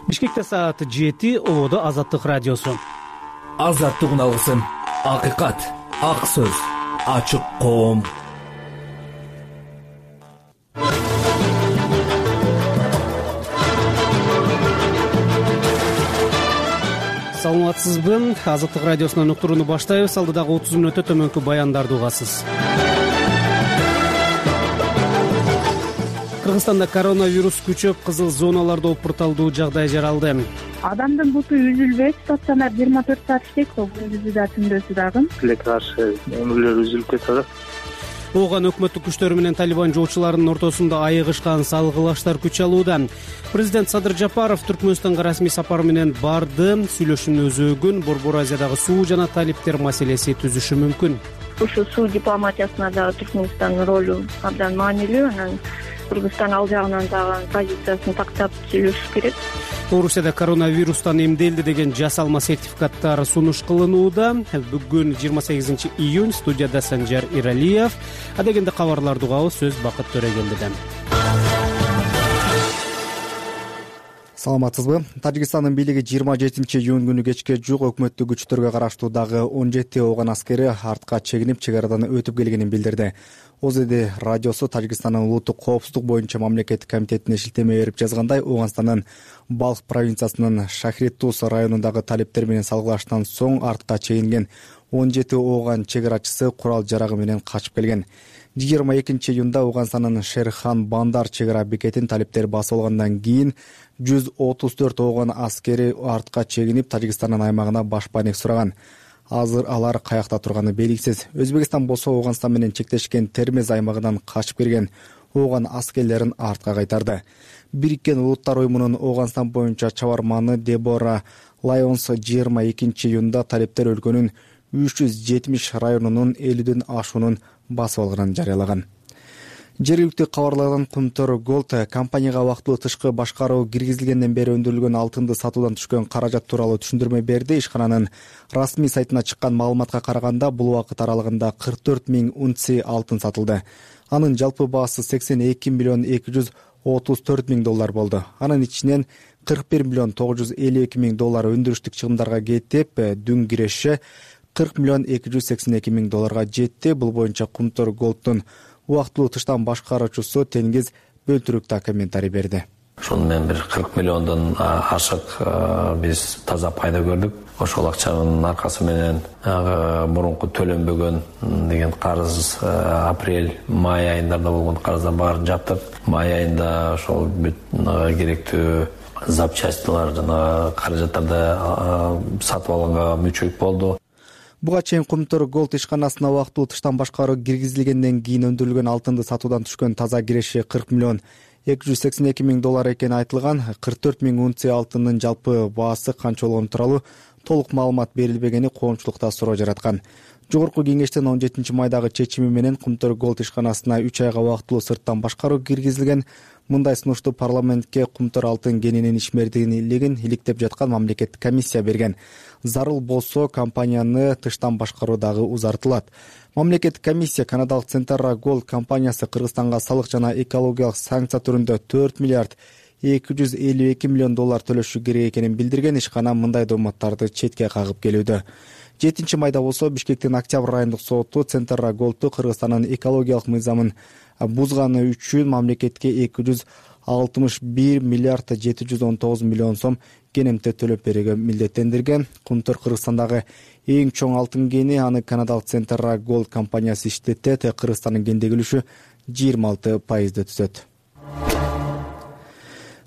Бишкекте саат 7, Ободо Азаттык радиосу. Азаттык алгысын, акыйкат, ак сөз, ачык коом. Саламатсызбы? Азаттык радиосунан уктурууну баштайбыз. Алдыдагы 30 мүнөттө төмөнкү баяндарды угасыз. Кыргызстанда коронавирус күчөп, кызыл зоналарда опурталдуу жагдай жаралды. Адамдын буту үзүлбөйт, стационар 24 саат иштейт, күндүзү да түндүзү дагы. Тилекке каршы өмүрлөр үзүлүп кетип атат. Ооган өкмөттүк күчтөр менен Талибан жоочуларынын ортосунда айыгышкан салгылаштар күч алууда. Президент Садыр Жапаров Түркмөнстанга расмий сапар менен барды. Сүйлөшүүнүн өзөгүн Борбор Азиядагы суу жана талиптер маселеси түзүшү мүмкүн. Ушу суу дипломатиясына дагы Түркмөнстандын ролу абдан маанилүү. Анан Кыргызстан ал жагынан дагы позициясын тактап сүйлөшүш керек. Орусияда коронавирустан эмделди деген жасалма сертификаттар сунуш кылынууда. Бүгүн 28 июнь, студияда Санжар Иралиев. Адегенде кабарларды угабыз, сөз Бакыт Төрөгелдиден. Саламатсызбы? Тажикстандын бийлиги 27 июнь күнү кечке жук өкмөттүк күчтөргө караштуу дагы 17 ооган аскери артка чегинип чек арадан өтүп келгенин билдирди. ОЗД радиосу Тажикстандын улуттук коопсуздук боюнча мамлекеттик комитетине шилтеме берип жазгандай, Ооганстандын Балх провинциясынын Шахритуз районундагы талиптер менен салгылаштан соң артка чегинген 17 ооган чек арачысы курал жарагы менен качып келген. 22 июнда Ооганстандын Шерхан Бандар чек ара бекетин талиптер басып алгандан кийин 134 ооган аскери артка чегинип Тажикстандын аймагына башпаанек сураган. Азыр алар каякта турганы белгисиз. Өзбекстан болсо Ооганстан менен чектешкен Термез аймагынан качып келген ооган аскерлерин артка кайтарды. Бириккен Улуттар уюмунун Ооганстан боюнча чабарманы Дебора Лайонс 22 июнда талиптер өлкөнүн 370 районунун 50ден ашуунун басып алганын жарыялаган. Жергиликтүү кабарлардан Кумтөр Голд компанияга убактылуу тышкы башкаруу киргизилгенден бери өндүрүлгөн алтынды сатуудан түшкөн каражат тууралуу түшүндүрмө берди. Ишкананын расмий сайтына чыккан маалыматка караганда, бул убакыт аралыгында 44 000 унция алтын сатылды. Анын жалпы баасы 82 миллион 234 000 доллар болду. Анын ичинен 41 миллион 952 000 доллар өндүрүштүк чыгымдарга кетип, дүң киреши 40 миллион 282 000 долларга жетти. Бул боюнча Кумтөр Голддун убактылуу тыштан башкаруучусу Теңиз Бөлтүрүктө комментарий берди. Ошону менен бир 40 миллиондон ашык биз таза пайда көрдүк. Ошол акчанын аркасы менен мурунку төлөнбөгөн деген карыз апрель-май айындарда болгон карыздар баарын жаптык. Май айында ошол бүт керектүү запчастьлар жана каражаттарды сатып алганга мүчөлүк болду. Буга чейин Кумтөр Голд ишканасына убактылуу тыштан башкаруу киргизилгенден кийин өндүрүлгөн алтынды сатуудан түшкөн таза киреши 40 миллион 282 000 доллар экени айтылган. 44 000 унция алтындын жалпы баасы канча болгону тууралуу толук маалымат берилбегени коомчулукта суроо жараткан. Жогорку кеңештин 17 майдагы чечими менен Кумтөр Голд ишканасына 3 айга убактылуу сырттан башкаруу киргизилген. Мындай сунушту парламентке Кумтөр алтын кенинин ишмердүүлүгүн иликтеп жаткан мамлекеттик комиссия берген. Зарыл болсо компанияны тыштан башкаруу дагы узартылат. Мамлекеттик комиссия канадалык Центерра Голд компаниясы Кыргызстанга салык жана экологиялык санкция түрүндө 4 миллиард 252 миллион доллар төлөшү керек экенин билдирген. Ишкана мындай дооматтарды четке кагып келүүдө. 7 майда болсо Бишкектин Октябрь райондук соту Центерра Голдду Кыргызстандын экологиялык мыйзамын бузганы үчүн мамлекетке 261 миллиард 719 миллион сом кенемте төлөп берүүгө милдеттендирген. Кумтөр Кыргызстандагы эң чоң алтын кени, аны канадалык Центерра Голд компаниясы иштетет. Кыргызстандын кендеги үлүшү 26% түзөт.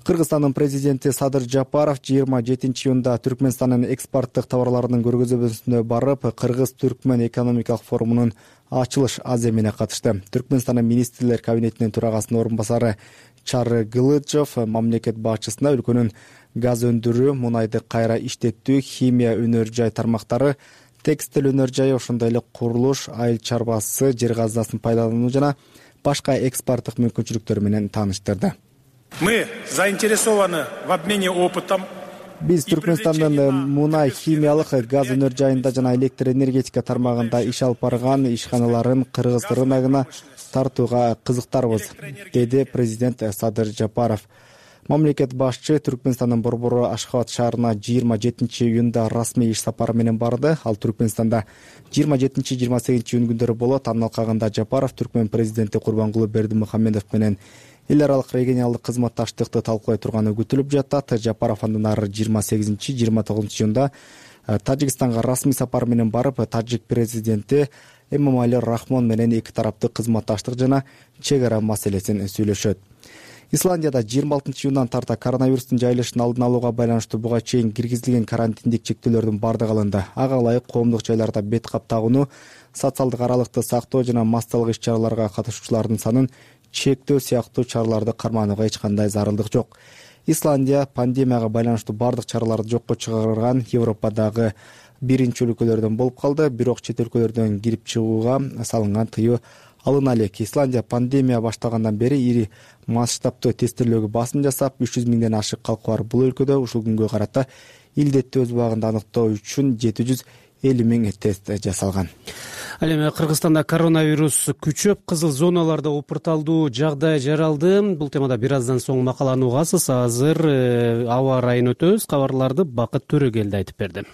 Кыргызстандын президенти Садыр Жапаров 27 июнда Түркмөнстандын экспорттук товарларынын көргөзмөсүнө барып, Кыргыз-Түркмөн экономикалык форумунун ачылыш аземине катышты. Түркмөнстандын министрлер кабинетинин төрагасынын орун басары Чары Гылычев мамлекет башчысына өлкөнүн газ өндүрүү, мунайды кайра иштетүү, химия өнөр жай тармактары, текстиль өнөр жайы, ошондой эле курулуш, айыл чарбасы, жер казынасын пайдалануу жана башка экспорттук мүмкүнчүлүктөр менен тааныштырды. Мы заинтересованы в обмене опытом. Биз Түркмөнстандын мунай, химиялык, газ өнөр жайында жана электр энергетика тармагында иш алып барган ишканаларын кыргыз рыногуна тартууга кызыктарбыз, деди президент Садыр Жапаров. Мамлекет башчы Түркмөнстандын Борбору Ашхабад шаарына 27-июнда расмий иш сапары менен барды. Ал Түркмөнстанда 27-28 июнь күндөрү болот. Анын алкагында Жапаров Түркмөн президенти Курбангулы Бердимухамедов менен эл аралык регионалдык кызматташтыкты талкуулай турганы күтүлүп жатат. Жапаров андан ары 28-29 июнда Тажикстанга расмий сапар менен барып, тажик президенти Эмомали Рахмон менен эки тараптык кызматташтык жана чек ара маселесин сүйлөшөт. Исландияда 26-июндан тарта коронавирустун жайылышын алдын алууга байланыштуу буга чейин киргизилген карантиндик чектөөлөрдүн бардыгы алынды. Ага ылайык коомдук жайларда бет кап тагууну, социалдык аралыкты сактоо жана массалык иш-чараларга катышуучулардын санын чектөө сыяктуу чараларды карманууга эч кандай зарылдык жок. Исландия пандемияга байланыштуу бардык чараларды жокко чыгарган Европадагы биринчи өлкөлөрдөн болуп калды. Бирок чет өлкөлөрдөн кирип чыгууга салынган тыюу алына элек. Исландия пандемия башталгандан бери ири масштабтуу тестирлөөгө басым жасап, 300 миңден ашык калкы бар бул өлкөдө ушул күнгө карата илдетти өз убагында аныктоо үчүн 750 миң тест жасалган. Ал эми Кыргызстанда коронавирус күчөп, кызыл зоналарда опурталдуу жагдай жаралды. Бул темада бир аздан соң макаланы угасыз. Азыр аба ырайын өтөбүз. Кабарларды Бакыт Төрөгелди айтып берди.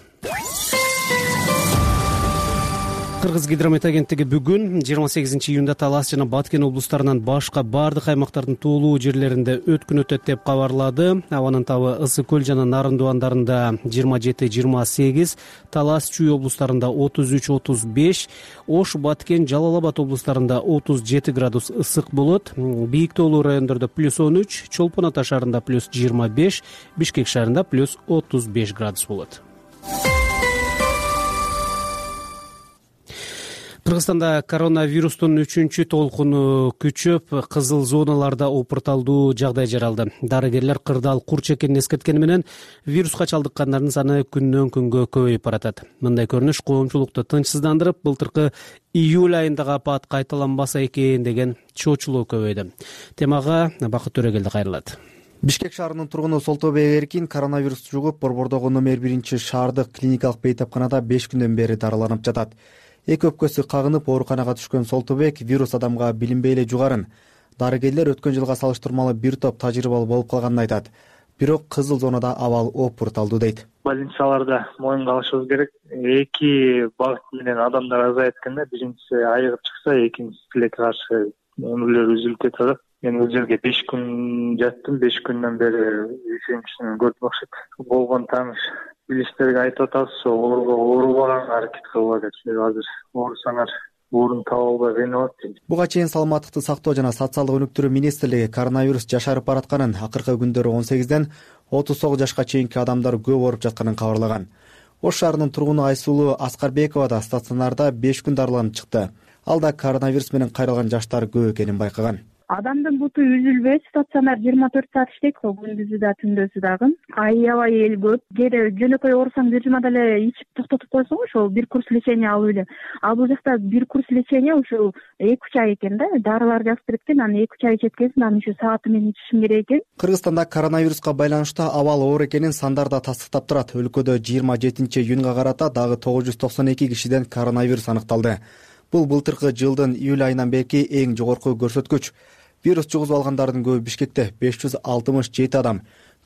Кыргыз гидромет агенттиги бүгүн 28-июнда Талас жана Баткен облустарынан башка бардык аймактардын туулуу жерлеринде өткүн өтөт деп кабарлады. Абанын табы Ысык көл жана Нарын дубандарында 27-28, Талас Чүй облустарында 33-35, Ош, Баткен, Жалал Абад облустарында 37 градус ысык болот. Бийик тоолуу райондордо +13, Чолпон Ата шаарында +25, Бишкек шаарында +35 градус болот. Кыргызстанда коронавирустун 3-чү толкуну күчөп, кызыл зоналарда опурталдуу жагдай жаралды. Дарыгерлер кырдаал курч экенин эскерткени менен вируска чалдыккандардын саны күндөн күнгө көбөйүп баратат. Мындай көрүнүш коомчулукту тынчсыздандырып, былтыркы июль айындагы апат кайталанбаса экен деген чоочулоо көбөйдү. Темага Бакыт Төрөгелди кайрылат. Бишкек шаарынын тургуну Солтобек Эркин коронавирус жугуп, Борбордогу номер 1 шаардык клиникалык бейтапканада 5 күндөн бери дарыланып жатат. Эки өпкөсү кагынып ооруканага түшкөн Солтобек вирус адамга билинбей эле жугарын. Дарыгерлер өткөн жылга салыштырмалуу бир топ тажрыйбалуу болуп калганын айтат. Бирок кызыл зонада абал опурталдуу дейт. Больницаларда моюнга алышыбыз керек. Эки багыт менен адамдар азайып эткенде, биринчиси айыгып чыкса, экинчиси тилекке каршы өмүрлөр үзүлүп кетет. Мен бул жерге 5 күн жаттым, 5 күндөн бери ишеничин көрдүм окшойт. Болгон тааныш билиштерге айтып атабыз, оорубаганга аракет кылгыла деп. Азыр оорусаңар орун таба албай кыйналат дейт. Буга чейин саламаттыкты сактоо жана социалдык өнүктүрүү министрлиги коронавирус жашарып баратканын, акыркы күндөрү 18ден 39 жашка чейинки адамдар көп ооруп жатканын кабарлаган. Ош шаарынын тургуну Айсулуу Аскарбекова да стационарда 5 күн дарыланып чыкты. Ал да коронавирус менен кайрылган жаштар көп экенин байкаган. Адамдын буту үзүлбөйт, стационар 24 саат иштейт го, күндүзү да, түндөсү дагы. Аябай эл көп. Кээ жөнөкөй оорусаң бир жумада эле ичип токтотуп койсоң, ошол бир курс лечение алып эле. Ал бул жакта бир курс лечение ушул 2-3 ай экен да, дарылар жазып береткен, аны 2-3 ай ичеткенсиң, аны ушу сааты менен ичишиң керек экен. Кыргызстанда коронавируска байланыштуу абал оор экенин сандар да тастыктап турат. Өлкөдө 27-июнга карата дагы 992 кишиден коронавирус аныкталды. Бул былтыркы жылдын июль айынан берки эң жогорку көрсөткүч. Вирус жугузуп алгандардын көбү Бишкекте 567 адам,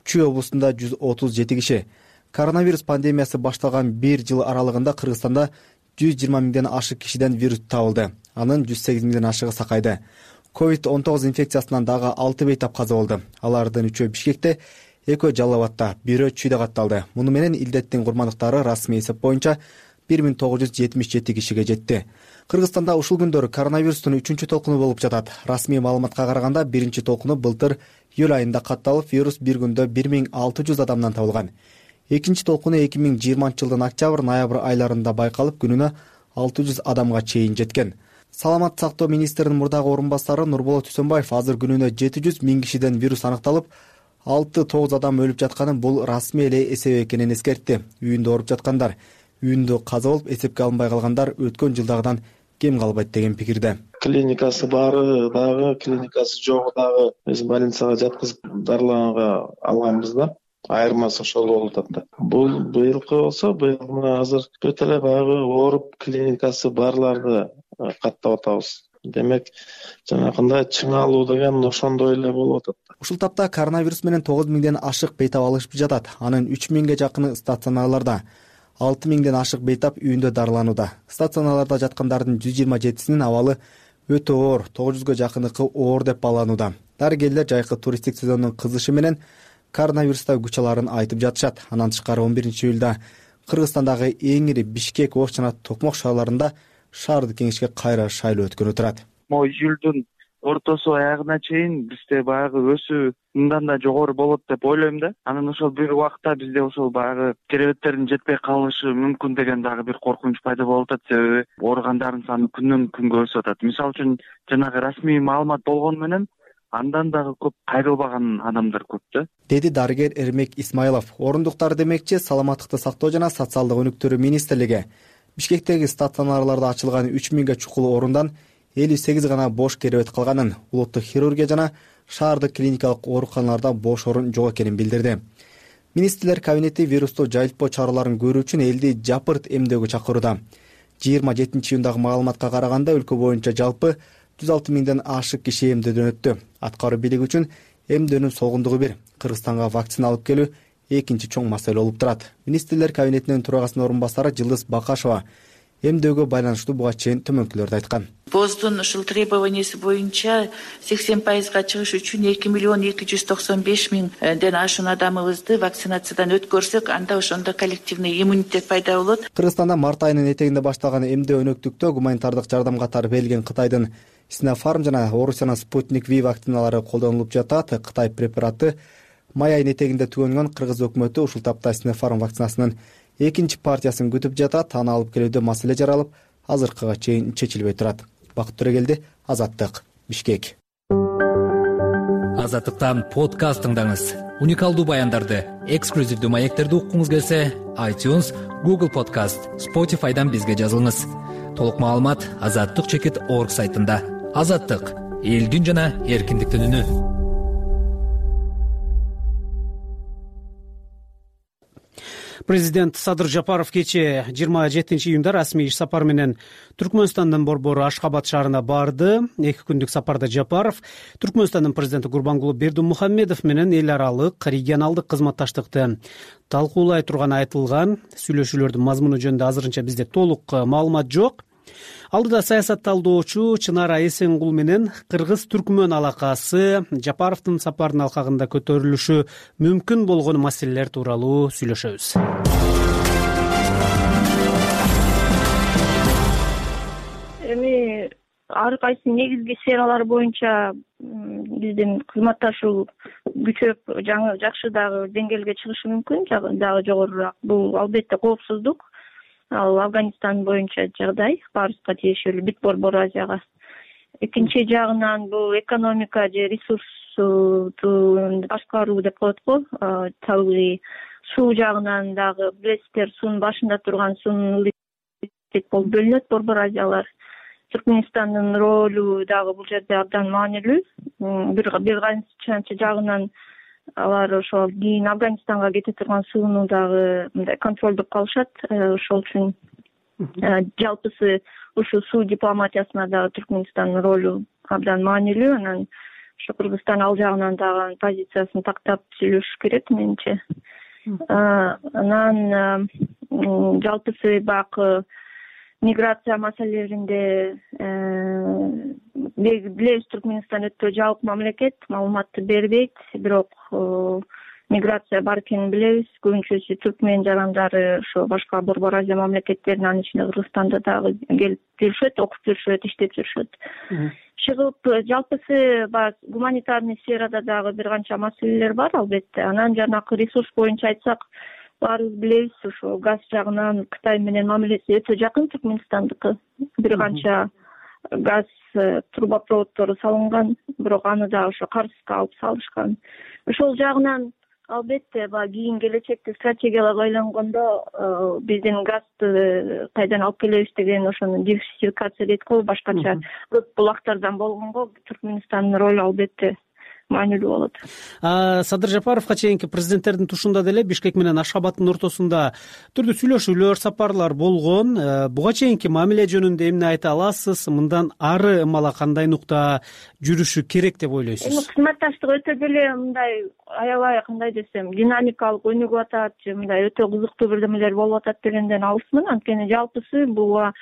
Чүй облусунда 137 киши. Коронавирус пандемиясы башталган бир жыл аралыгында Кыргызстанда 120 миңден ашык кишиден вирус табылды. Анын 108 миңден ашыгы Сакайда. COVID-19 инфекциясынан дагы 6 бейтап каза болду. Алардын 3-өө Бишкекте, 2-өө Жалал Абадта, 1-өө Чүйдө катталды. Муну менен илдеттин курмандыктары расмий эсеп боюнча 1977 кишиге жетти. Кыргызстанда ушул күндөрү коронавирустун 3-чү толкуну болуп жатат. Расмий маалыматка караганда биринчи толкуну былтыр июль айында катталып, вирус бир күндө 1600 адамдан табылган. Экинчи толкуну 2020 жылдын октябрь-ноябрь айларында байкалып, күнүнө 600 адамга чейин жеткен. Саламат сактоо министринин мурдагы орун басары Нурболот Үсөнбаев азыр күнүнө 700 миң кишиден вирус аныкталып, 6-9 адам өлүп жатканын бул расмий эле эсеп экенин эскертти. Үйүндө ооруп жаткандар, үйүндө каза болуп эсепке алынбай калгандар өткөн жылдагыдан кем калбайт деген пикирде. Клиникасы бары дагы, клиникасы жогу дагы биз больницага жаткызып дарылаганга алганбыз да. Айырмасы ошол болуп атат да. Бул быйылкы болсо, быйыл азыр өтө эле баягы ооруп клиникасы барларды каттап атабыз. демек жанакындай чыңалуу деген ошондой эле болуп атат. Ушул тапта коронавирус менен 9 миңден ашык бейтап алышып жатат. Анын 3 миңге жакыны стационарларда, 6 миңден ашык бейтап үйүндө дарыланууда. Стационарларда жаткандардын 127синин абалы өтө оор, 900гө жакыныкы оор деп бааланууда. Дарыгерлер жайкы туристтик сезондун кызышы менен коронавируста күч аларын айтып жатышат. Андан тышкары 11-июлда Кыргызстандагы эң ири Бишкек, Ош жана Токмок шаарларында шаардык кеңешке кайра шайлоо өткөнү турат. Июлдун ортосу аягына чейин бизде баягы өсүү мындан да жогору болот деп ойлойм да. Анан ошол бир убакта бизде ошол баягы керебеттердин жетпей калышы мүмкүн деген дагы бир коркунуч пайда болуп атат. Себеби ооругандардын саны күндөн күнгө өсүп атат. Мисалы үчүн жанагы расмий маалымат болгону менен андан дагы көп кайрылбаган адамдар көп да, деди дарыгер Эрмек Исмайлов. Орундуктар демекчи Саламаттыкты сактоо жана социалдык өнүктүрүү министрлиги Бишкектеги стационарларда ачылган 3 миңге чукул орундан 58 гана бош керебет калганын, улуттук хирургия жана шаардык клиникалык ооруканаларда бош орун жок экенин билдирди. Министрлер кабинети вирусту жайылтпоо чараларын көрүү үчүн элди жапырт эмдөөгө чакырууда. 27-июндагы маалыматка караганда өлкө боюнча жалпы 106 миңден ашык киши эмдөөдөн өттү. Аткаруу бийлиги үчүн эмдөөнүн солгундугу бир, Кыргызстанга вакцина алып келүү экинчи чоң маселе болуп турат. Министрлер кабинетинин төрагасынын орун басары Жылдыз Бакашева эмдөөгө байланыштуу буга чейин төмөнкүлөрдү айткан. ВОЗдун ушул требованиясы боюнча 80%га чыгыш үчүн 2,295,000ден ашуун адамыбызды вакцинациядан өткөрсөк, анда ошондо коллективный иммунитет пайда болот. Кыргызстанда март айынын этегинде башталган эмдөө өнөктүктө гуманитардык жардам катары берилген Кытайдын Sinopharm жана Орусиянын Sputnik V вакциналары колдонулуп жатат. Кытай препараты май айынын этегинде түгөнгөн. Кыргыз өкмөтү ушул тапта Sinopharm вакцинасынын экинчи партиясын күтүп жатат. Аны алып келүүдө маселе жаралып, азыркыга чейин чечилбей турат. Бакыт Төрөгелди, Азаттык, Бишкек. Азаттыктан подкаст тыңдаңыз. Уникалдуу баяндарды, эксклюзивдүү маектерди уккуңуз келсе, iTunes, Google Podcast, Spotify'дан бизге жазылыңыз. Толук маалымат azattyk.org сайтында. Азаттык — элдин жана эркиндиктин үнү. Президент Садыр Жапаров кечээ 27-июнда расмий иш сапары менен Түркмөнстандын борбору Ашхабад шаарына барды. 2 күндүк сапарда Жапаров Түркмөнстандын президенти Гурбангулы Бердимухамедов менен эл аралык регионалдык кызматташтыкты талкуулай турганы айтылган. Сүйлөшүүлөрдүн мазмуну жөнүндө азырынча бизде толук маалымат жок. Алдыда саясатталдоочу Чынара Эсенгул менен кыргыз-түркмөн алакасы Жапаровдун сапарынын алкагында көтөрүлүшү мүмкүн болгон маселелер тууралуу сүйлөшөбүз. Эми ар кайсы негизги сфералар боюнча биздин кызматташуу күчөп, жакшы дагы деңгээлге чыгышы мүмкүн, дагы жогорураак. Бул албетте коопсуздук. Ал Афганистан боюнча жагдай, Парска тиешелүү бүт Борбор Азияга. Экинчи жагынан бул экономика же ресурсту башкаруу деп коет го. Табигый суу жагынан дагы билесиздер, суунун башында турган суунун болуп бөлүнөт Борбор Азиялар. Түркмөнстандын ролу дагы бул жерде абдан маанилүү. Бир канча жагынан алар ошол кийин Афганистанга кете турган сууну дагы мындай контролдоп калышат. Ошол үчүн жалпысы ушул суу дипломатиясына дагы Түркмөнстандын ролу абдан маанилүү. Анан ошо Кыргызстан ал жагынан дагы позициясын тактап сүйлөшүш керек менимче. Анан жалпысы баягы миграция маселелеринде билебиз, Түркмөнстан өтө жабык мамлекет, маалыматты бербейт, бирок миграция бар экенин билебиз. Көбүнчөсү түркмөн жарандары ошо башка Борбор Азия мамлекеттеринин, анын ичинде Кыргызстанда дагы келип жүрүшөт, окуп жүрүшөт, иштеп жүрүшөт. Чыгып жалпысы гуманитарный сферада дагы бир канча маселелер бар албетте. Анан жанакы ресурс боюнча айтсак, баарыбыз билебиз, ошо газ жагынан Кытай менен мамилеси өтө жакын Түркмөнстандыкы. Бир канча газ трубопроводдору салынган, бирок аны дагы ошо Карска алып салышкан. Ошол жагынан албетте кийин келечекте стратегияларга байлангондо биздин газды кайдан алып келебиз деген ошону диверсификация дейт го, башкача көп булактардан болгонго Түркмөнстандын ролу албетте маанилүү болот. Садыр Жапаровго чейинки президенттердин тушунда деле Бишкек менен Ашхабадтын ортосунда түрдүү сүйлөшүүлөр, сапарлар болгон. Буга чейинки мамиле жөнүндө эмне айта аласыз? Мындан ары ымала кандай нукта жүрүшү керек деп ойлойсуз? Кызматташтык өтө деле мындай аябай кандай десем динамикалык өнүгүп атат же мындай өтө кызыктуу бирдемелер болуп атат дегенден алысмын. Анткени жалпысы буга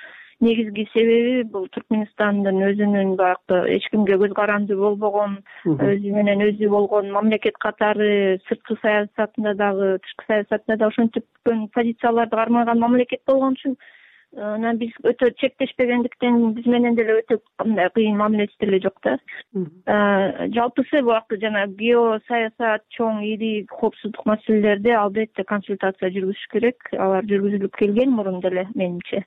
негизги себеби бул Түркмөнстандын өзүнүн баягы эч кимге көз каранды болбогон, өзү менен өзү болгон мамлекет катары сырткы саясатында дагы, тышкы саясатында да ошентип позицияларды кармаган мамлекет болгон үчүн анан биз өтө чектешпегендиктен биз менен деле өтө мындай кыйын мамилеси деле жок да. Жалпысы буяка жана геосаясат, чоң ири коопсуздук маселелерде албетте консультация жүргүзүш керек. Алар жүргүзүлүп келген мурун деле менимче.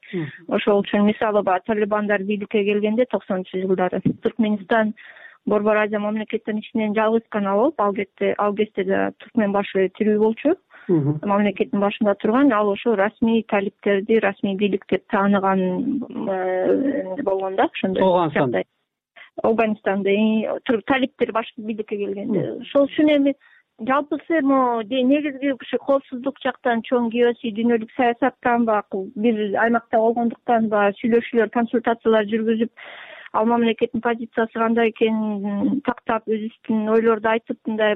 Ошол үчүн мисалы талибандар бийликке келгенде 90-жылдары Түркмөнстан Борбор Азия мамлекеттеринин ичинен жалгыз гана болуп, ал кезде да түркмөн башы тирүү болчу. Мамлекеттин башында турган, ал ошо расмий талиптерди, расмий бийлик деп тааныган болгон да, ошондой. Афганистанда талиптер башкы бийликке келгенде. Ошол үчүн эми жалпысы негизги ушу коопсуздук жактан, чоң геосий дүйнөлүк саясаттан бир аймакта болгондуктан сүйлөшүүлөр, консультациялар жүргүзүп, ал мамлекеттин позициясы кандай экенин тактап, өзүбүздүн ойлорду айтып, мындай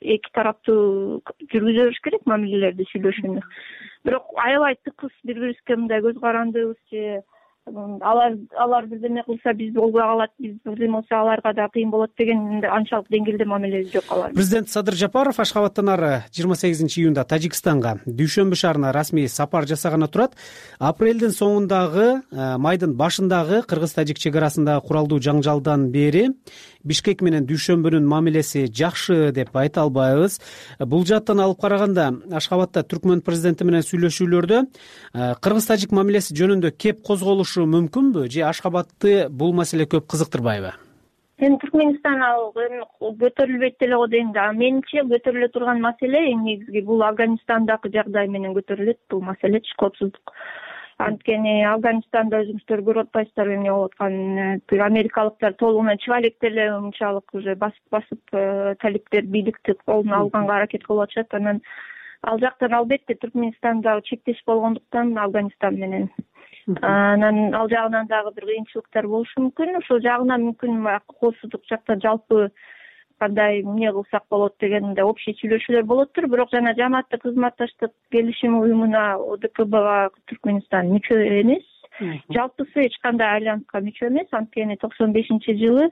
эки тараптуу жүргүзө бериш керек мамилелерди, сүйлөшүүнү. Бирок аябай тыкыз бири-бирибизге мындай көз карандыбыз же алар бирдеме кылса биз болбой калат, биз бирдеме кылса аларга да кыйын болот деген анчалык деңгээлде мамилеси жок алар. Президент Садыр Жапаров Ашхабадтан ары 28-июнда Тажикстанга, Дүйшөмбү шаарына расмий сапар жасаганы турат. Апрелдин соңундагы, майдын башындагы кыргыз-тажик чек арасындагы куралдуу жаңжалдан бери Бишкек менен Дүйшөмбүнүн мамилеси жакшы деп айта албайбыз. Бул жааттан алып караганда Ашхабадта Түркмөн президенти менен сүйлөшүүлөрдө кыргыз-тажик мамилеси жөнүндө кеп козголушу мүмкүнбү же Ашхабадты бул маселе көп кызыктырбайбы? Эми Түркмөнстан ал көтөрүлбөйт деле го дейм да. Менимче көтөрүлө турган маселе эң негизги бул Афганистандагы жагдай менен көтөрүлөт бул маселе, коопсуздук. Анткени Афганистанда өзүңүздөр көрүп атпайсыздар эмне болуп атканын. Америкалыктар толугунан чыга электе эле мынчалык уже басып талиптер бийликти колуна алганга аракет кылып атышат. Анан ал жактан албетте Түркмөнстанда чектеш болгондуктан Афганистан менен. Анан ал жагынан дагы бир кыйынчылыктар болушу мүмкүн. Ошол жагынан мүмкүн коопсуздук жакта жалпы кандай эмне кылсак болот дегенде общий сүйлөшүүлөр болоттур. Бирок жана жамааттык кызматташтык келишим уюмуна, ОДКБга Түркмөнстан мүчө эмес. Жалпысы эч кандай альянска мүчө эмес. Анткени 95-жылы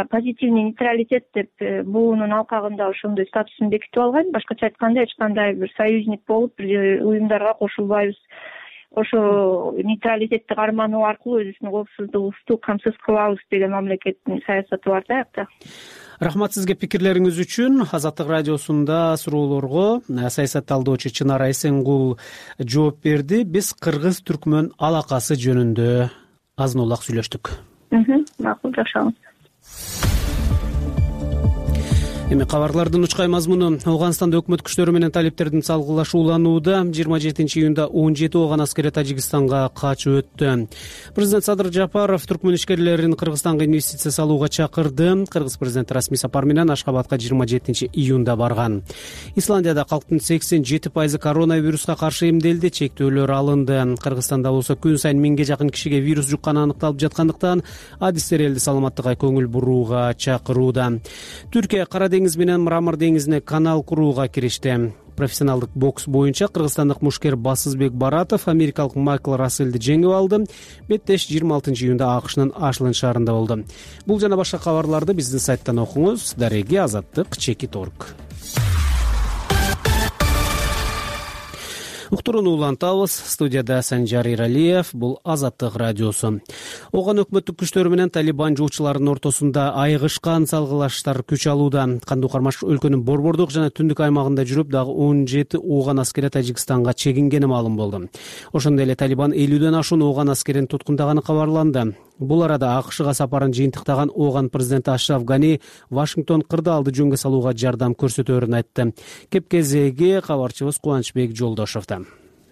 позитивный нейтралитет деп буунун алкагында ошондой статусун бекитип алган. Башкача айтканда эч кандай бир союзник болуп, бир уюмдарга кошулбайбыз. Ошо нейтралитетти кармануу аркылуу өзүбүздүн коопсуздугубузду камсыз кылабыз деген мамлекеттин саясаты бар да якта. Рахмат сизге пикирлериңиз үчүн. Азаттык радиосунда суроолорго саясатталдоочу Чынара Эсенгул жооп берди. Биз кыргыз-түркмөн алакасы жөнүндө азын улак сүйлөштүк. Макул, жакшы. Эми кабарлардын учкай мазмуну. Афганистанда өкмөт күчтөрү менен талиптердин салгылашууланууда 27-июнда 17 ооган аскери Тажикстанга качып өттү. Президент Садыр Жапаров түркмөн ишкерлерин Кыргызстанга инвестиция салууга чакырды. Кыргыз президенти расмий сапар менен Ашхабадка 27-июнда барган. Исландияда калктын 87% коронавируска каршы эмделди, чектөөлөр алынды. Кыргызстанда болсо күн сайын 1000ге жакын кишиге вирус жукканы аныкталып жаткандыктан адистер элди саламаттыкка көңүл бурууга чакырууда. Түркия Кара деңиз менен Мрамор деңизине канал курууга киришти. Профессионалдык бокс боюнча кыргызстандык мушкер Басызбек Баратов америкалык Майкл Расселди жеңип алды. Беттеш 26-июнда АКШнын Ашланд шаарында болду. Бул жана башка кабарларды биздин сайттан окуңуз. Дареги azаттык.org. Уктурууну улантабыз. Студияда Санжар Иралиев. Бул Азаттык радиосу. Ооган өкмөттүк күчтөр менен Талибан жоочуларынын ортосунда айыгышкан салгылаштар күч алууда. Кандуу Кармаш өлкөнүн борбордук жана түндүк аймагында жүрүп, дагы 17 ооган аскери Тажикстанга чегингени маалым болду. Ошондой эле Талибан 50ден ашуун ооган аскерин туткундаганы кабарланды. Бул арада АКШга сапарын жыйынтыктаган ооган президенти Ашраф Гани Вашингтон кырдаалды жөнгө салууга жардам көрсөтөөрүн айтты. Кеп кезеги кабарчыбыз Кубанычбек Жолдошовдо.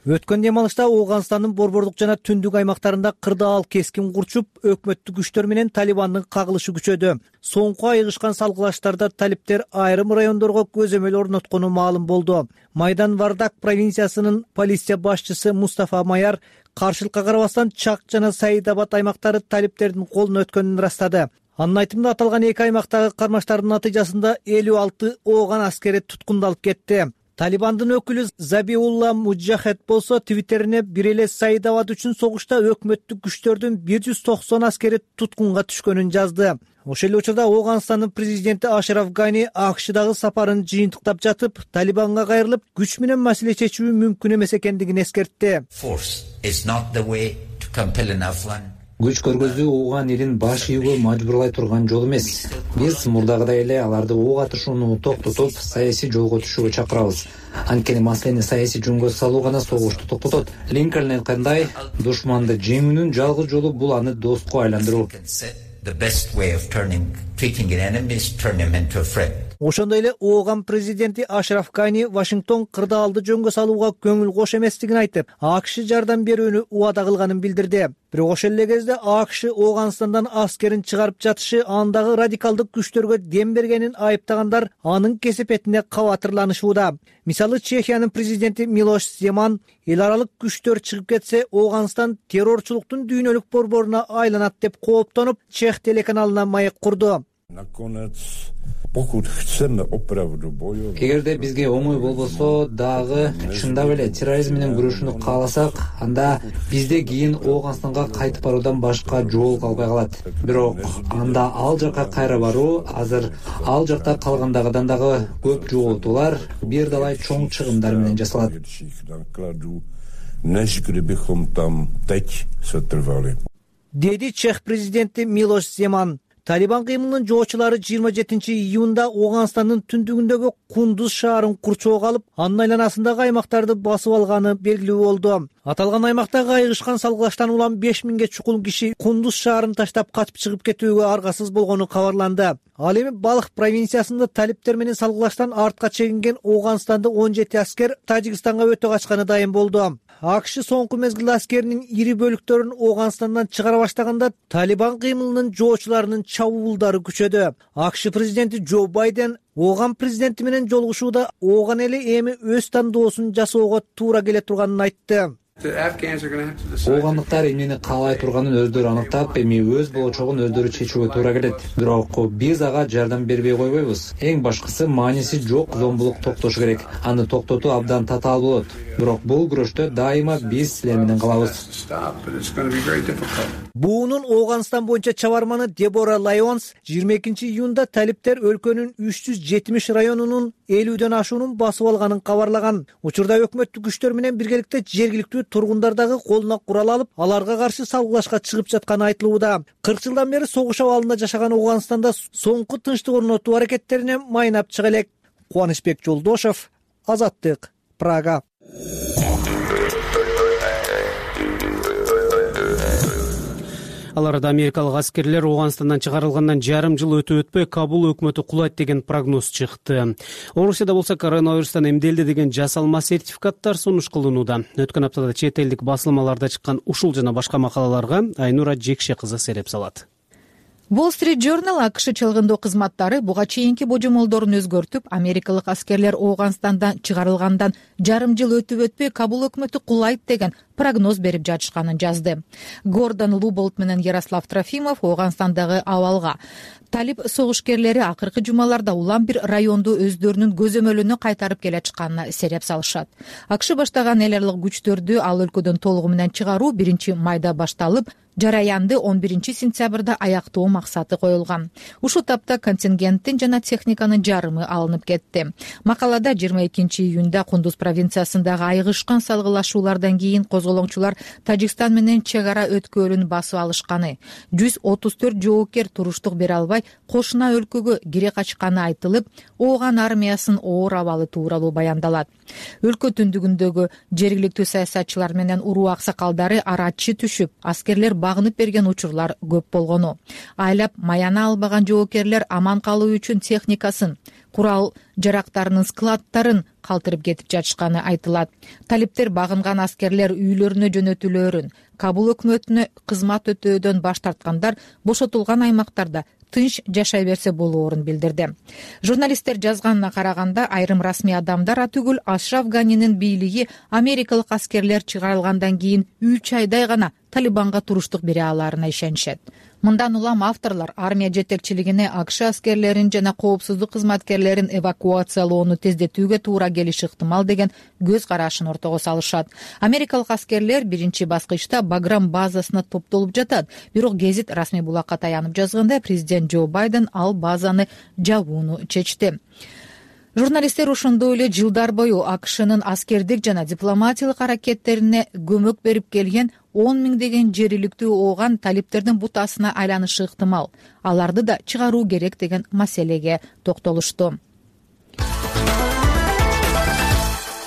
Өткөн дем алышта Ооганстандын борбордук жана түндүк аймактарында кырдаал кескин курчуп, өкмөттүк күчтөр менен Талибандын кагылышы күчөдү. Соңку айыгышкан салгылаштарда талиптер айрым райондорго көзөмөл орноткону маалым болду. Майдан Вардак провинциясынын полиция башчысы Мустафа Маяр каршылыкка карабастан Чак жана Саидабад аймактары талиптердин колуна өткөнүн ырастады. Анын айтымында аталган эки аймактагы кармаштардын натыйжасында 56 Ооган аскери туткундалып кетти. Талибандын өкүлү Забиулла Муджахед болсо Твиттерине бир эле Саидабад үчүн согушта өкмөттүк күчтөрдүн 190 аскери туткунга түшкөнүн жазды. Ошол эле учурда Ооганстандын президенти Ашраф Гани АКШдагы сапарын жыйынтыктап жатып, Талибанга кайрылып, күч менен маселе чечүү мүмкүн эмес экендигин эскертти. Күч көргөзүү Ооган элин баш ийүүгө мажбурлай турган жол эмес. Биз мурдагыдай эле аларды ок атышууну токтотуп, саясий жолго түшүүгө чакырабыз. Анткени маселени саясий жөнгө салуу гана согушту токтотот. Линкольн айткандай, душманды жеңүүнүн жалгыз жолу бул аны доско айландыруу. Ошондой эле Ооган президенти Ашраф Гани Вашингтон кырдаалды жөнгө салууга көңүл кош эместигин айтып, АКШ жардам берүүнү убада кылганын билдирди. Бирок ошол эле кезде АКШ Ооганстандан аскерин чыгарып жатышы андагы радикалдык күчтөргө дем бергенин айыптагандар анын кесепетине кабатырланышууда. Мисалы, Чехиянын президенти Милош Земан эл аралык күчтөр чыгып кетсе, Ооганстан террорчулуктун дүйнөлүк борборуна айланат деп кооптонуп, Чех телеканалына маек курду. Эгерде бизге оңой болбосо дагы чындап эле терроризм менен күрөшүүнү кааласак, анда бизде кийин Ооганстанга кайтып баруудан башка жол калбай калат. Бирок анда ал жака кайра баруу, азыр ал жакта калгандагыдан дагы көп жоготуулар, бир далай чоң чыгымдар менен жасалат. Деди Чех президенти Милош Земан. Талибан кыймылынын жоочулары 27 июнда Ооганстандын түндүгүндөгү Кундуз шаарын курчоого алып, анын айланасындагы аймактарды басып алганы белгилүү болду. Аталган аймактагы айыгышкан салгылаштан улам 5000ге чукул киши Кундуз шаарын таштап качып чыгып кетүүгө аргасыз болгону кабарланды. Ал эми Балх провинциясында талиптер менен салгылаштан артка чегинген Ооганстанда 17 аскер Тажикстанга өтө качканы дайым болду. АКШ соңку мезгилде аскеринин ири бөлүктөрүн Ооганстандан чыгара баштаганда Талибан кыймылынын жоочуларынын чабуулдары күчөдү. АКШ президенти Джо Байден Ооган президенти менен жолугушууда Ооган эли эми өз тандоосун жасоого туура келе турганын айтты. Оогандыктар эмнени каалай турганын өздөрү аныктап, эми өз болочогун өздөрү чечүүгө туура келет. Бирок биз ага жардам бербей койбойбуз. Эң башкысы мааниси жок зомбулук токтошу керек. Аны токтотуу абдан татаал болот. Бирок бул күрөштө дайыма биз силер менен калабыз. Буунун Ооганстан боюнча чабарманы Дебора Лайонс 22 июнда талиптер өлкөнүн 370 районунун 50дөн ашуунун басып алганын кабарлаган. Учурда өкмөттүк күчтөр менен биргеликте жергиликтүү тургундардагы колуна курал алып, аларга каршы салгылашка чыгып жатканы айтылууда. 40 жылдан бери согуш абалында жашаган Ооганстанда соңку тынчтык орнотуу аракеттерине майнап чыга элек. Кубанычбек Жолдошов, Азаттык, Прага. Ал арада америкалык аскерлер Ооганстандан чыгарылгандан жарым жыл өтө-өтпөй Кабул өкмөтү кулайт деген прогноз чыкты. Орусияда болсо коронавирустан эмделди деген жасалма сертификаттар сунуш кылынууда. Өткөн аптада чет элдик басылмаларда чыккан ушул жана башка макалаларга Айнура Жекше кызы сереп салат. Wall Street Journal АКШ чалгындоо кызматтары буга чейинки божомолдорун өзгөртүп, америкалык аскерлер Ооганстандан чыгарылгандан жарым жыл өтүп-өтпөй Кабул өкмөтү кулайт деген прогноз берип жатышканын жазды. Гордон Луболт менен Ярослав Трофимов Ооганстандагы абалга талиб согушкерлери акыркы жумаларда улам бир районду өздөрүнүн көзөмөлүнө кайтарып келе жатканына сереп салышат. АКШ баштаган эл аралык күчтөрдү ал өлкөдөн толугу менен чыгаруу 1-майда башталып, жараянды 11-сентябрда аяктоо максаты коюлган. Ушул тапта контингенттин жана техниканын жарымы алынып кетти. Макалада 22 июнда Кундуз провинциясындагы айыгышкан салгылашуулардан кийин козголоңчулар Тажикстан менен чек ара өткөлүн басып алышканы, 134 жоокер туруштук бере албай кошуна өлкөгө кире качканы айтылып, Ооган армиясынын оор абалы тууралуу баяндалат. Өлкө түндүгүндөгү жергиликтүү саясатчылар менен уруу аксакалдары арачы түшүп, аскерлер багынып берген учурлар көп болгону, айлап маяна албаган жоокерлер аман калуу үчүн техникасын, курал жарактарынын складдарын калтырып кетип жатышканы айтылат. Талиптер багынган аскерлер үйлөрүнө жөнөтүлөөрүн, Кабул өкмөтүнө кызмат өтөөдөн баш тарткандар бошотулган аймактарда тынч жашай берсе болоорун билдирди. Журналисттер жазганына караганда, айрым расмий адамдар түгүл Ашраф Ганинин бийлиги америкалык аскерлер чыгарылгандан кийин 3 айдай гана Талибанга туруштук бере алаарына ишенишет. Мындан улам авторлор армия жетекчилигине АКШ аскерлерин жана коопсуздук кызматкерлерин эвакуациялоону тездетүүгө туура келиши ыктымал деген көз карашын ортого салышат. Америкалык аскерлер биринчи баскычта Баграм базасына топтолуп жатат. Бирок гезит расмий булакка таянып жазганда, президент Джо Байден ал базаны жабууну чечти. Журналисттер ошондой эле жылдар бою АКШнын аскердик жана дипломатиялык аракеттерине көмөк берип келген 10 миңдеген жериликтүү ооган талиптердин бутасына айланышы ыктымал. Аларды да чыгаруу керек деген маселеге токтолушту.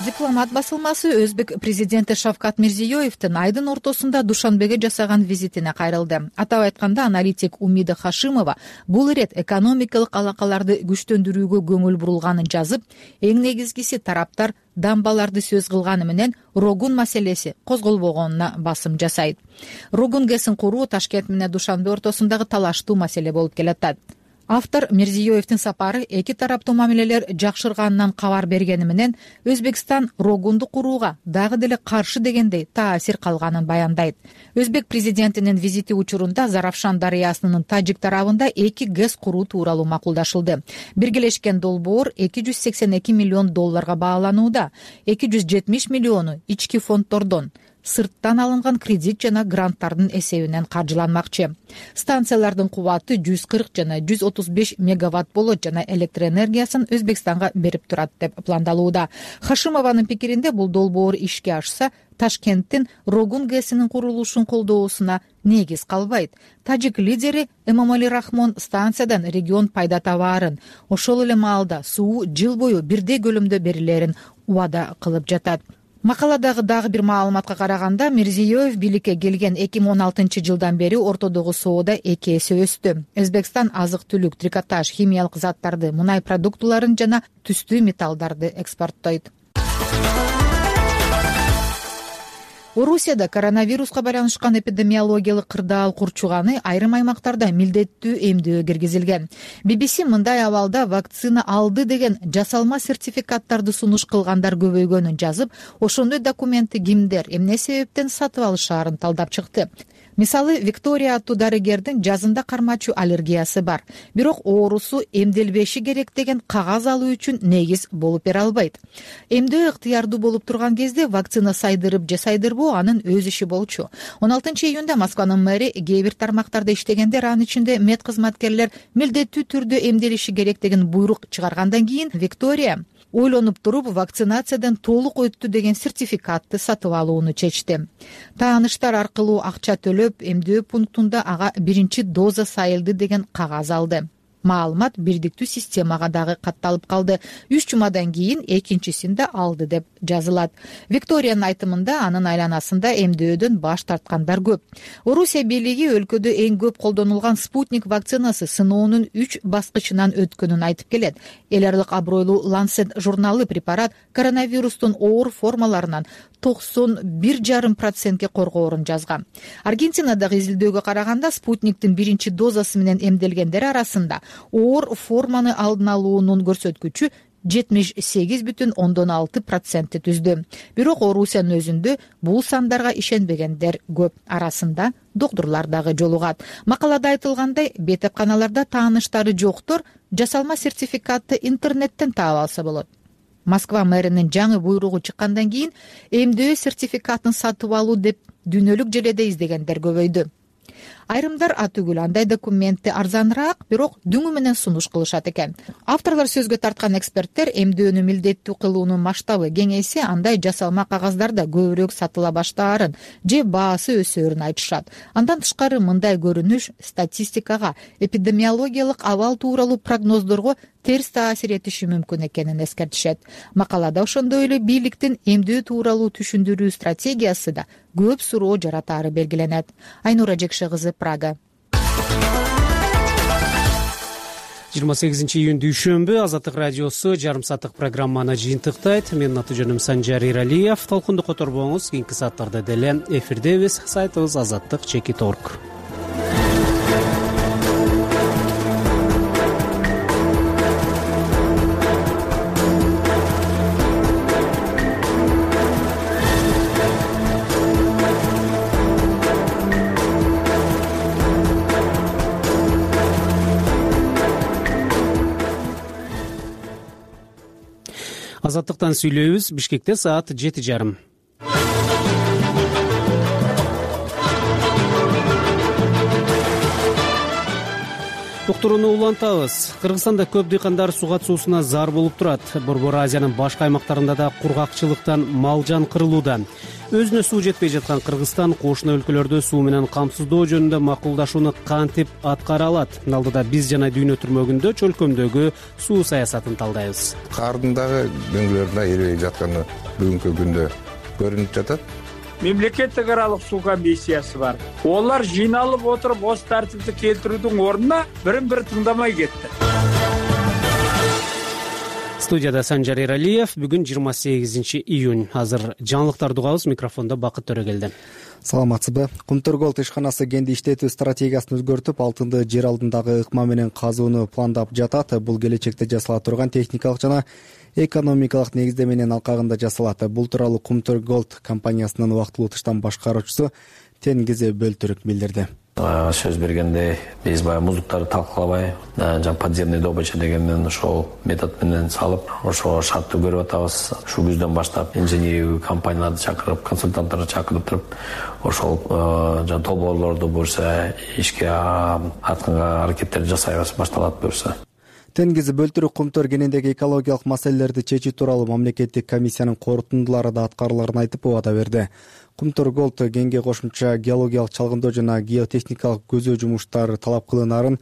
Дипломат басылмасы өзбек президенти Шавкат Мирзиёевдин айдын ортосунда Душанбеге жасаган визитине кайрылды. Атап айтканда, аналитик Умида Хашимова бул ирет экономикалык алакаларды күчтөндүрүүгө көңүл бурулганын жазып, эң негизгиси тараптар дамбаларды сөз кылганы менен Рогун маселеси козголбогонуна басым жасайт. Рогун ГЭСин куруу Ташкент менен Душанбе ортосундагы талаштуу маселе болуп келатат. Автор Мирзиёевдин сапары эки тараптуу мамилелер жакшырганынан кабар бергени менен Өзбекстан Рогунду курууга дагы деле каршы дегендей таасир калганын баяндайт. Өзбек президентинин визити учурунда Заравшан дарыясынын тажик тарабында 2 ГЭС куруу тууралуу макулдашылды. Биргелешкен долбоор $282 миллион бааланууда, 270 миллиону ички фонддордон, сырттан алынган кредит жана гранттардын эсебинен каржыланмакчы. Станциялардын кубаты 140 жана 135 мегаватт болот жана электр энергиясын Өзбекстанга берип турат деп пландалууда. Хашимованын пикиринде, бул долбоор ишке ашса, Ташкенттин Рогун ГЭСинин курулушун колдоосуна негиз калбайт. Тажик лидери Эмомали Рахмон станциядан регион пайда табаарын, ошол эле маалда суу жыл бою бирдей көлөмдө берилерин убада кылып жатат. Макаладагы дагы бир маалыматка караганда, Мирзиёев бийликке келген 2016 жылдан бери ортодогу соода 2 эсе өстү. Өзбекстан азык-түлүк, трикотаж, химиялык заттарды, мунай продуктуларын жана түстүү металлдарды экспорттойт. Орусияда коронавируска байланышкан эпидемиологиялык кырдаал курчуганы айрым аймактарда милдеттүү эмдөө киргизилген. BBC мындай абалда вакцина алды деген жасалма сертификаттарды сунуш кылгандар көбөйгөнүн жазып, ошондой документти кимдер, эмне себептен сатып алышаарын талдап чыкты. Мисалы, Виктория аттуу дарыгердин жазында кармачу аллергиясы бар. Бирок оорусу эмделбеши керек деген кагаз алуу үчүн негиз болуп бере албайт. Эмдөө ыктыярдуу болуп турган кезде вакцина сайдырып же сайдырбоо анын өз иши болчу. 16 июнда Москванын мэри кээ бир тармактарда иштегендер, анын ичинде мед кызматкерлер милдеттүү түрдө эмделиши керек деген буйрук чыгаргандан кийин Виктория ойлонуп туруп вакцинациядан толук өттү деген сертификатты сатып алууну чечти. Тааныштар аркылуу акча төлөп, эмдөө пунктунда ага биринчи доза сайылды деген кагаз алды. Маалымат бирдиктүү системага дагы катталып калды. 3 жумадан кийин экинчисин да алды деп жазылат. Викториянын айтымында, анын айланасында эмдөөдөн баш тарткандар көп. Орусия бийлиги өлкөдө эң көп колдонулган Спутник вакцинасы сыноонун 3 баскычынан өткөнүн айтып келет. Эл аралык абройлуу Lancet журналы препарат коронавирустун оор формаларынан 91,5% коргоорун жазган. Аргентинадагы изилдөөгө караганда, Спутниктин биринчи дозасы менен эмделгендер арасында оор форманы алдын алуунун көрсөткүчү 78,6% түздү. Бирок Орусиянын өзүндө бул сандарга ишенбегендер көп. Арасында доктурлар дагы жолугат. Макалада айтылгандай, бетепканаларда тааныштары жоктор жасалма сертификатты интернеттен таап алса болот. Москва мэринин жаңы буйругу чыккандан кийин эмдөө сертификатын сатып алуу деп дүйнөлүк желеде издегендер көбөйдү. Айрымдар атүгүл андай документти арзаныраак, бирок дүңү менен сунуш кылышат экен. Авторлор сөзгө тарткан эксперттер эмдөөнү милдеттүү кылуунун масштабы кеңейсе, андай жасалма кагаздарда көбүрөөк сатыла баштаарын же баасы өсөөрүн айтышат. Андан тышкары мындай көрүнүш статистикага, эпидемиологиялык абал тууралуу прогноздорго терс таасир этиши мүмкүн экенин эскертишет. Макалада ошондой эле бийликтин эмдөө тууралуу түшүндүрүү стратегиясы да көп суроо жаратаары белгиленет. Айнура Жекше кызы, Прага. 28 июнь дүйшөмбү Азаттык радиосу жарым сааттык программаны жыйынтыктайт. Менин аты жөнүм Санжар Иралиев. Толкунду которбоңуз, кийинки сааттарда деле эфирдебиз. Сайтыбыз azattik.org. Азаттыктан сүйлөйбүз. Бишкекте саат 7:30. Уктурууну улантабыз. Кыргызстанда көп дыйкандар суга суусуна зар болуп турат. Борбор Азиянын башка аймактарында да кургакчылыктан мал жан кырылууда. Өзүнө суу жетпей жаткан Кыргызстан кошуна өлкөлөрдө суу менен камсыздоо жөнүндө макулдашууну кантип аткара алат? Алдыда биз жана дүйнө түрмөгүндө чөлкөмдөгү суу саясатын талдайбыз. Кардын дагы дөңгөлөрүндө эрибей жатканы бүгүнкү күндө көрүнүп жатат. Мемлекеттик аралык суу комиссиясы бар. Олар жыйналып отуруп, оз тартипти келтирүүнүн ордуна бирин-бири тыңдамай кетти. Студияда Санжар Иралиев. Бүгүн 28 июнь. Азыр жаңылыктарды угабыз. Микрофондо Бакыт Төрөгелди. Саламатсызбы? Кумтөр-Голд ишканасы кенди иштетүү стратегиясын өзгөртүп, алтынды жер алдындагы ыкма менен казууну пландап жатат. Бул келечекте жасала турган техникалык жана экономикалык негиздеменин алкагында жасалат. Бул тууралуу Кумтөр-Голд компаниясынын убактылуу тыштан башкаруучусу Тенгизе Бөлтүрүк билдирди. Сөз бергенде биз баягы муздуктарды талкалабай, жана подземный добыча дегенмен ошол метод менен салып, ошо шартты көрүп атабыз. Ушу күздөн баштап инженериялык компанияларды чакырып, консультанттарды чакырып туруп, ошол жана долбоорлорду буюрса ишке атканга аракеттерди жасайбыз, башталат буюрса. Тенгизе Бөлтүрүк Кумтөр кенендеги экологиялык маселелерди чечүү тууралуу мамлекеттик комиссиянын корутундулары да аткарыларын айтып убада берди. Кумтөр-Голд кенге кошумча геологиялык чалгындоо жана геотехникалык көзөө жумуштары талап кылынаарын,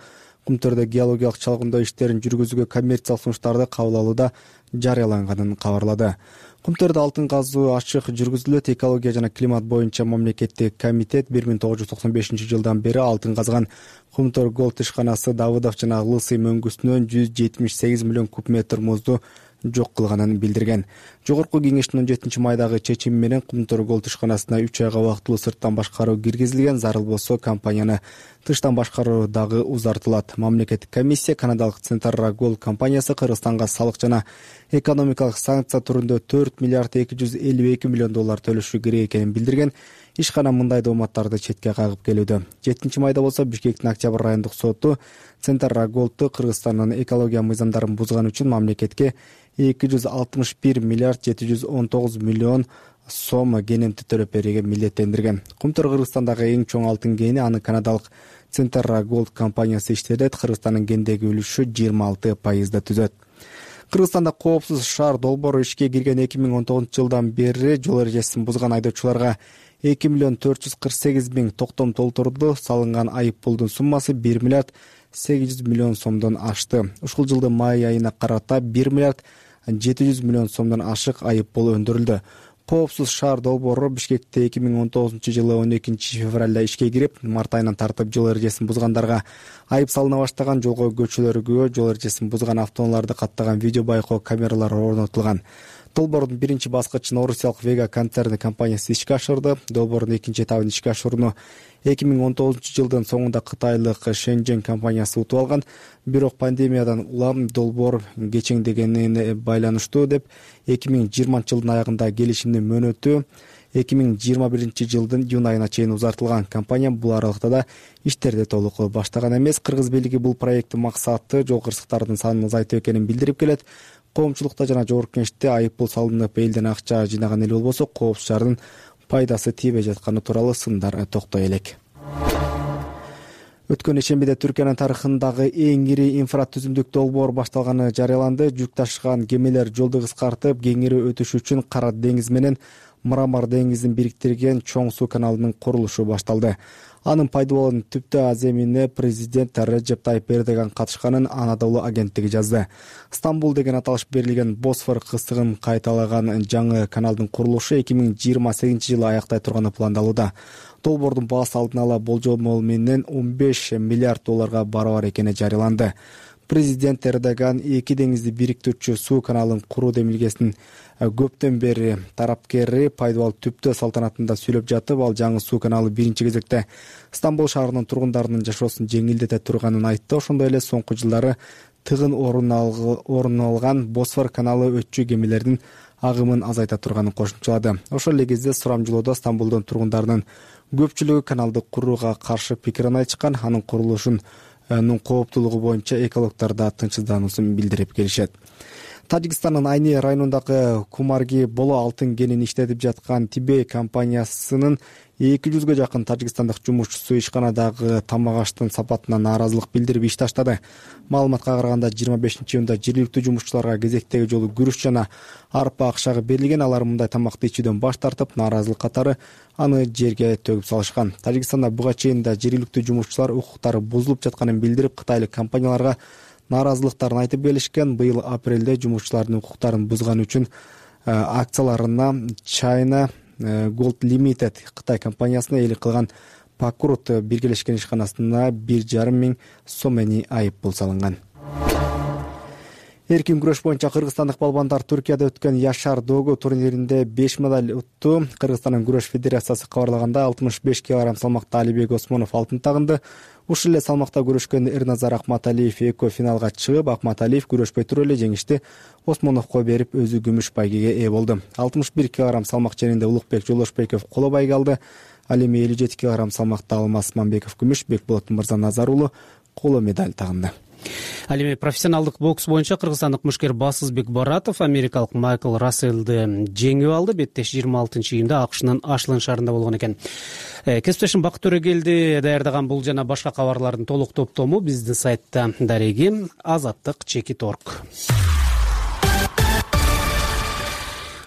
Кумтөрдө геологиялык чалгындоо иштерин жүргүзүүгө коммерциялык сунуштарды кабыл алууда жарыяланганын кабарлады. Кумтөрдө алтын казуу ачык жүргүзүлөт. Экология жана климат боюнча мамлекеттик комитет 1995 жылдан бери алтын казган Кумтөр-Голд ишканасы Давыдов жана Лысый мөңгүсүнөн 178 миллион куб метр музду жок кылганын билдирген. Жогорку кеңештин 17 майдагы чечими менен Кумтөр-Голд ишканасына 3 айга убактылуу сырттан башкаруу киргизилген. Зарыл болсо компанияны тыштан башкаруу дагы узартылат. Мамлекеттик комиссия канадалык Центрра Голд компаниясы Кыргызстанга салык жана экономикалык санкция түрүндө 4 миллиард 252 миллион доллар төлөшү керек экенин билдирген. Ишкана мындай дооматтарды четке кагып келүүдө. 7 майда болсо Бишкектин Октябрь райондук соту Центрра Голдту Кыргызстандын экология мыйзамдарын бузган үчүн мамлекетке 261 миллиард 719 миллион сом кенемти төлөп берүүгө милдеттендирген. Кумтөр Кыргызстандагы эң чоң алтын кени, аны канадалык Центрра Голд компаниясы иштетет. Кыргызстандын кендеги үлүшү 26% түзөт. Кыргызстанда коопсуз шаар долбоору ишке кирген 2019 жылдан бери жол эрежесин бузган айдоочуларга 2 миллион 448 миң токтом толтурду. Салынган айып пулдун суммасы 1 миллиард 800 миллион сомдон ашты. Ушул жылдын май айына карата 1 миллиард 700 миллион сомдон ашык айып пул өндүрүлдү. Коопсуз шаар долбоору Бишкекте 2019 жылы 12 февралда ишке кирип, март айынан тартып жол эрежесин бузгандарга айып салына баштаган. Жолго көчөлөргө жол эрежесин бузган автоунааларды каттаган видео байкоо камералары орнотулган. Долбоордун биринчи баскычын орусиялык Вега концерни компаниясы ишке ашырды. Долбоордун экинчи этабын ишке ашырууну 2019 жылдын соңунда кытайлык Шэньчжэнь компаниясы утуп алган. Бирок пандемиядан улам долбоор кечеңдегенине байланыштуу деп 2020 жылдын аягында келишимдин мөөнөтү 2021 жылдын июнь айына чейин узартылган. Компания бул аралыкта да иштерди толук баштаган эмес. Кыргыз бийлиги бул проекттин максаты жол кырсыктардын санын азайтуу экенин билдирип келет. Коомчулукта жана жогорку кеңеште айып пул салынып, элден акча жыйнаган эл болбосо, коопсуз шаардын пайдасы тийбей жатканы тууралуу сындар токтой элек. Өткөн ишембиде Түркиянын тарыхындагы эң ири инфратүзүмдүк долбоор башталганы жарыяланды. Жүк ташыган кемелер жолду кыскартып, кеңири өтүш үчүн Кара деңиз менен Мрамор деңизин бириктирген чоң суу каналынын курулушу башталды. Анын пайдалануунун түптө аземине президент Реджеп Тайип Эрдоган катышканын Анадолу агенттиги жазды. Стамбул деген аталыш берилген Босфор кыстыгын кайталаган жаңы каналдын курулушу 2028-жылы аяктай турганы пландалууда. Долбоордун баасы алдын ала болжол менен 15 миллиард долларга барабар экени жарыяланды. Президент Эрдоган эки деңизди бириктирүүчү суу каналын куруу демилгесинин көптөн бери тарапкери Пайдыбал түптө салтанатында сүйлөп жатып, ал жаңы суу каналы биринчи кезекте Стамбул шаарынын тургундарынын жашоосун жеңилдете турганын айтты. Ошондой эле соңку жылдары тыгын орун алган Босфор каналы өтчү кемелердин агымын азайта турганын кошумчалады. Ошол эле кезде сурамжылоодо Стамбулдун тургундарынын көпчүлүгү каналды курууга каршы пикирин айтышкан. Анын курулушунун кооптуулугу боюнча экологдор да тынчсыздануусун билдирип келишет. Тажикстандын Айни районундагы Кумарги боло алтын кенин иштетип жаткан Тибей компаниясынын 200га жакын тажикстандык жумушчусу ишканадагы тамак аштын сапатына нааразылык билдирип иш таштады. Маалыматка караганда 25-июнда жергиликтүү жумушчуларга кезектеги жолу күрүч жана арпа акчагы берилген. Алар мындай тамакты ичүүдөн баш тартып, нааразылык катары аны жерге төгүп салышкан. Тажикстанда буга чейин да жергиликтүү жумушчулар укуктары бузулуп жатканын билдирип, кытайлык компанияларга нааразылыктарын айтып келишкен. Быйыл апрелде жумушчулардын укуктарын бузган үчүн акцияларына China Gold Limited Кытай компаниясына ээлик кылган Пакрут биргелешкен ишканасына 1,5 миң сомени айыппул салынган. Эркин күрөш боюнча кыргызстандык балбандар Түркияда өткөн Яшар Догу турниринде 5 медаль утту. Кыргызстандын күрөш федерациясы кабарлаганда 65 кг салмакта Алибек Осмонов алтын тагынды. Ушул эле салмакта күрөшкөн Эрназар Акматалиев эко финалга чыгып, Акматалиев күрөшпөй туруп эле жеңишти Осмоновго берип, өзү күмүш байгеге ээ болду. 61 кг салмак ченинде Улукбек Жолошбеков коло байге алды. Ал эми 57 кг салмакта Алмаз Мамбеков күмүш, Бекболот Мырзаназар уулу коло медаль тагынды. Ал эми профессионалдык бокс боюнча кыргызстандык мушкер Басызбек Баратов америкалык Майкл Расселди жеңип алды. Беттеш 26-июнда АКШнын Ашлын шаарында болгон экен. Кесиптешим Бакыт Төрөгелди даярдаган бул жана башка кабарлардын толук топтому биздин сайтта дареги azаттык.org.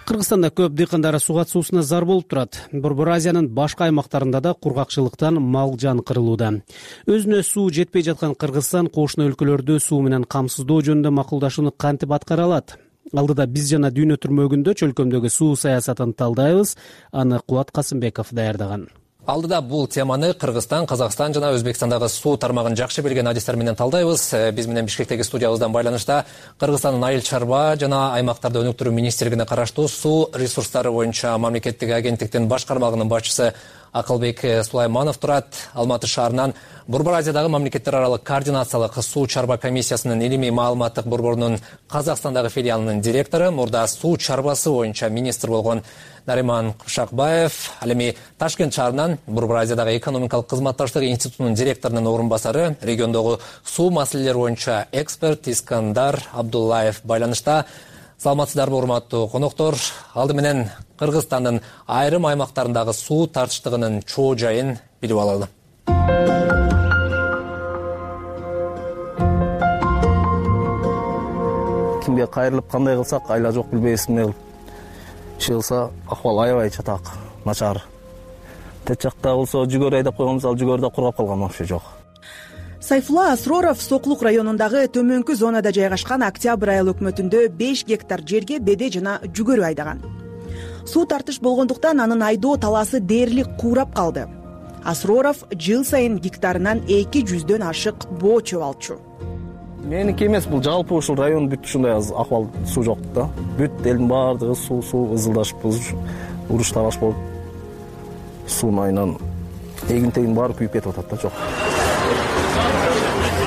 Кыргызстанда көп дыйкандар суу катышуусуна зар болуп турат. Борбор Азиянын башка аймактарында да кургакчылыктан мал жан кырылууда. Өзүнө суу жетпей жаткан Кыргызстан кошуна өлкөлөрдү суу менен камсыздоо жөнүндө макулдашууну кантип аткара алат? Алдыда биз жана Дүйнө түрмөгүндө чөлкөмдөгү суу саясатын талдайбыз. Аны Кубат Касымбеков даярдаган. Алдыда бул теманы Кыргызстан, Казакстан жана Өзбекстандагы суу тармагын жакшы билген адистер менен талдайбыз. Биз менен Бишкектеги студиябыздан байланышта Кыргызстандын айыл чарба жана аймактарды өнүктүрүү министрлигине караштуу суу ресурстары боюнча мамлекеттик агенттиктин баш кармагынын башчысы Акылбек Сулайманов турат. Алматы шаарынан Борбор Азиядагы мамлекеттер аралык координациялык суу чарба комиссиясынын илимий маалыматтык борборунун Казакстандагы филиалынын директору, мурда суу чарбасы боюнча министр болгон Нариман Кушакбаев, ал эми Ташкент шаарынан Борбор Азиядагы экономикалык кызматташтык институтунун директорунун орун басары, региондогу суу маселелери боюнча эксперт Искандар Абдуллаев байланышта. Саламатсыздарбы, урматтуу коноктор? Алды менен Кыргызстандын айрым аймактарындагы суу тартыштыгынын чоо жайын билип алалы. Кимге кайрылып кандай кылсак айла жок билбейбиз, эмне кылып иш кылса акыбал аябай чатак, начар. Тет жакта болсо жүгөр айдап койгонбуз, ал жүгөр да кургап калган, вообще жок. Сайфулла Асроров Сокулук районундагы төмөнкү зонада жайгашкан Октябрь айыл өкмөтүндө 5 гектар жерге беде жана жүгөрү айдаган. Суу тартыш болгондуктан анын айдоо талаасы дээрлик куурап калды. Асроров жыл сайын гектарынан 200дөн ашык боо чөп алчу. Меники эмес, бул жалпы ушул район бүт ушундай акыбал суу жок да. Бүт элдин баардыгы суу ызылдашып, уруш талаш болуп, суунун айынан эгин-тегин баары күйүп кетип атат да, жок.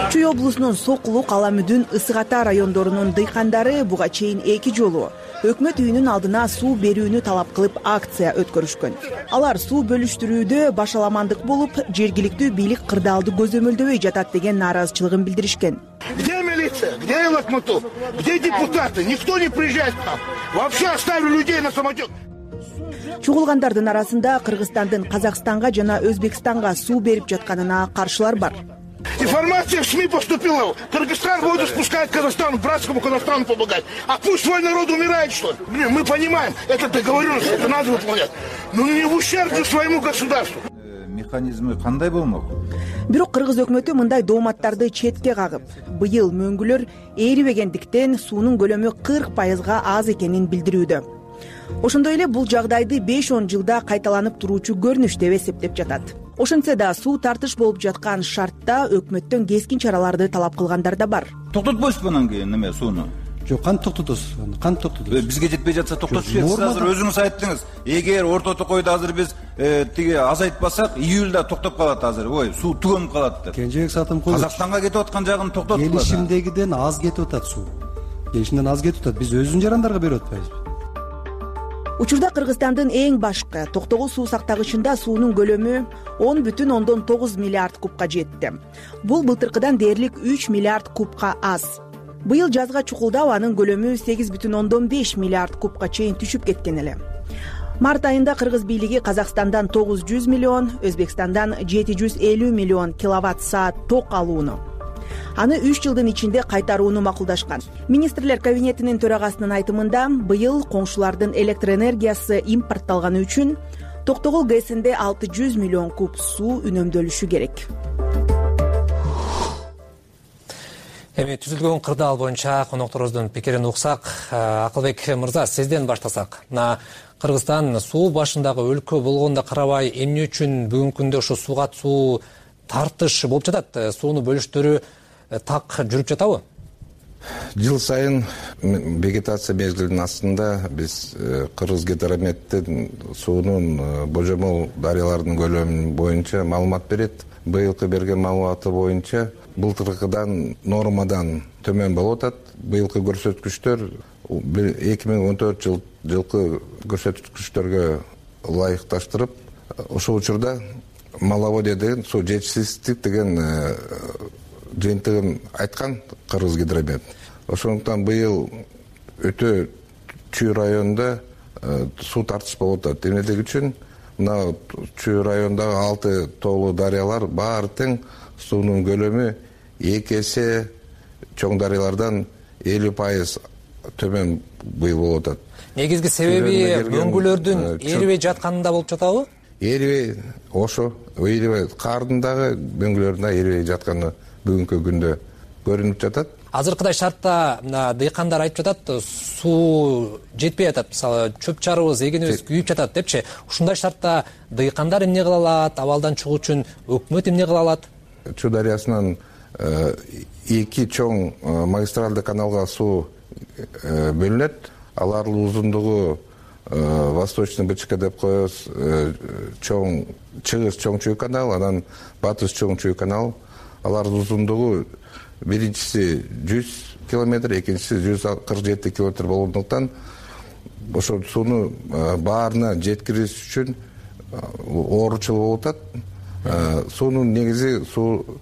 Чүй облусунун Сокулук, Аламүдүн, Ысык Ата райондорунун дыйкандары буга чейин 2 жолу өкмөт үйүнүн алдына суу берүүнү талап кылып акция өткөрүшкөн. Алар суу бөлүштүрүүдө башаламандык болуп, жергиликтүү бийлик кырдаалды көзөмөлдөбөй жатат деген нааразычылыгын билдиришкен. Где милиция? Где Лакматов? Где депутаты? Никто не приезжает к нам. Вообще оставили людей на самотек. Чугулгандардын арасында Кыргызстандын Казакстанга жана Өзбекстанга суу берип жатканына каршылар бар. Информация в СМИ поступила. Кыргызстан воду спускает Казахстану, братскому Казахстану помогать. А пусть свой народ умирает, что ли? Блин, мы понимаем, это договоренность, это надо выполнять. Но не в ущерб своему государству. Механизми кандай болмок? Бирок кыргыз өкмөтү мындай дооматтарды четке кагып, быйыл мөңгүлөр ээрибегендиктен суунун көлөмү 40%га аз экенин билдирүүдө. Ошондой эле бул жагдайды 5-10 жылда кайталанып туруучу көрүнүш деп эсептеп жатат. Ошентсе да суу тартыш болуп жаткан шартта өкмөттөн кескин чараларды талап кылгандар да бар. Токтотпойсузбу анан кийин неме сууну? Жок, кантип токтотосуз? Кантип токтотосуз? Бизге жетпей жатса токтотуш керек. Сиз азыр өзүңүз айттыңыз. Эгер орто токойдо азыр биз тиги азайтпасак, июлда токтоп калат азыр. Ой, суу түгөнүп калат деп. Кенжебек Сатымкулов. Казакстанга кетип аткан жагын токтотуп. Келишимдегиден аз кетип атат суу. Келишимден аз кетип атат. Биз өзүбүздүн жарандарга берип атпайбызбы? Учурда Кыргызстандын эң башкы Токтогул суу сактагычында суунун көлөмү 10,9 миллиард кубка жетти. Бул былтыркыдан дээрлик 3 миллиард кубка аз. Быйыл жазга чукулдап анын көлөмү 8,5 миллиард кубка чейин түшүп кеткен эле. Март айында кыргыз бийлиги Казакстандан 900 миллион, Өзбекстандан 750 миллион киловатт-саат ток алууну, аны 3 жылдын ичинде кайтарууну макулдашкан. Министрлер кабинетинин төрагасынын айтымында, быйыл коңшулардын электр энергиясы импортталганы үчүн Токтогул ГЭСинде 600 миллион куб суу үнөмдөлүшү керек. Эми түзүлгөн кырдаал боюнча конокторубуздун пикирин уксак, Акылбек мырза, сизден баштасак. Кыргызстан суу башындагы өлкө болгонда карабай, эмне үчүн бүгүнкү күндө ошо сууга суу тартыш болуп жатат? Сууну бөлүштөрү так жүрүп жатабы? Жыл сайын вегетация мезгилинин астында биз Кыргызгидрометтин суунун божомол дарыяларынын көлөмү боюнча маалымат берет. Быйылкы берген маалыматы боюнча былтыркыдан нормадан төмөн болуп атат. Быйылкы көрсөткүчтөр 2014 жылкы көрсөткүчтөргө ылайыкташтырып, ошол учурда маловодье деген суу жетишсиздик деген жыйынтыгын айткан Кыргызгидромет. Ошондуктан быйыл өтө чүй районунда суу тартыш болуп атат. Эмнелиги үчүн мына чүй районундагы 6 тоолуу дарыялар баары тең суунун көлөмү 2 эсе чоң дарыялардан 50% төмөн быйыл болуп атат. Негизги себеби мөңгүлөрдүн эрибей жатканында болуп жатабы? Эрибей, ошо эрибей кардын дагы мөңгүлөрдүн да эрибей жатканы бүгүнкү күндө көрүнүп жатат. Азыркыдай шартта дыйкандар айтып жатат, суу жетпей атат, мисалы чөп чарыбыз, эгенибиз күйүп жатат депчи. Ушундай шартта дыйкандар эмне кыла алат, абалдан чыгуу үчүн өкмөт эмне кыла алат? Чүй дарыясынан 2 чоң магистралдык каналга суу бөлүнөт. Алардын узундугу Восточный БЧК деп коебуз, чоң чыгыс чоң чүй канал, анан батыш чоң чүй канал. Алардын узундугу биринчиси 100 километр, экинчиси 147 километр болгондуктан ошол сууну баарына жеткириш үчүн ооручулук болуп атат. Суунун негизи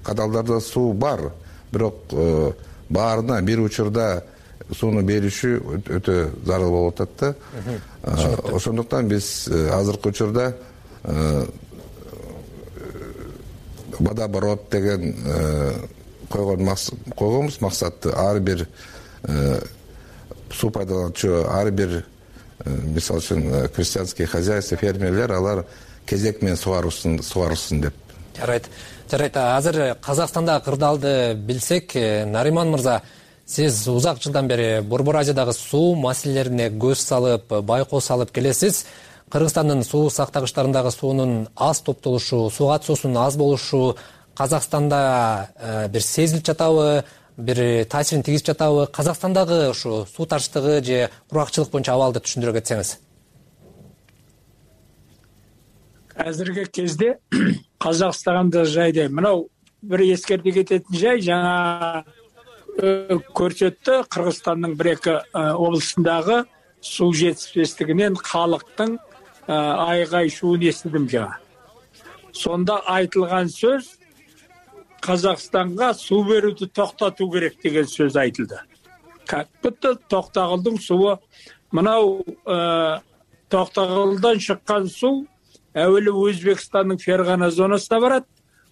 каналдарда суу бар, бирок баарына бир учурда сууну беришүү өтө зарыл болуп атат да. Ошондуктан биз азыркы учурда водооборот деген койгонбуз максатты. Ар бир суу пайдалануучу, ар бир мисалы үчүн крестьянский хозяйство, фермерлер алар кезек менен сугарылсын деп. Жарайт. Азыр Казакстанда кырдаалды билсек, Нариман мырза, сиз узак жылдан бери Борбор Азиядагы суу маселелерине көз салып, байкоо салып келесиз. Кыргызстандын суу сактагычтарындагы суунун аз топтолушу, сууга суусунун аз болушу Казакстанда бир сезилип жатабы, бир таасирин тийгизип жатабы? Казакстандагы ушу суу тартыштыгы же кургакчылык боюнча абалды түшүндүрө кетсеңиз. Азыркы кезде Казакстандагы жайда мынау бир эскерте кететін жай, жаңа көрсөттү, Кыргызстандын 1-2 облусундагы суу жетишпестигинен халыктын айгай шуун эстидим жаңа. Сонда айтылган сөз Казакстанга суу берүүнү токтотуу керек деген сөз айтылды. Как будто Токтогулдун суы, мынау Токтогулдан чыккан суу әуелі Өзбекстанның Ферғана зонасына барат,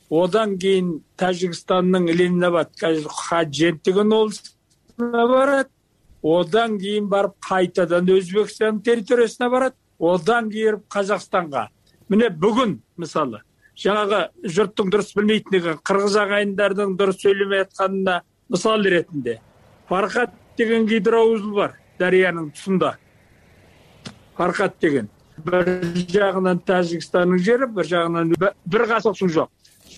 одан кийин Тажикстандын Ленинабад Хаджент деген облусуна барат, одан кийин барып кайтадан Өзбекстандын территориясына барат, одан кийин Казакстанга. Міне бүгүн мисалы жаңағы жұрттың дұрыс білмейтіндігі, қырғыз ағайындардың дұрыс сөйлемей жатқанына мисал ретінде Фархат деген гидроузел бар дарияның тұсында. Фархат деген бір жағынан Тәжікстанның жері, бір жағынан бір ғасыр су жоқ.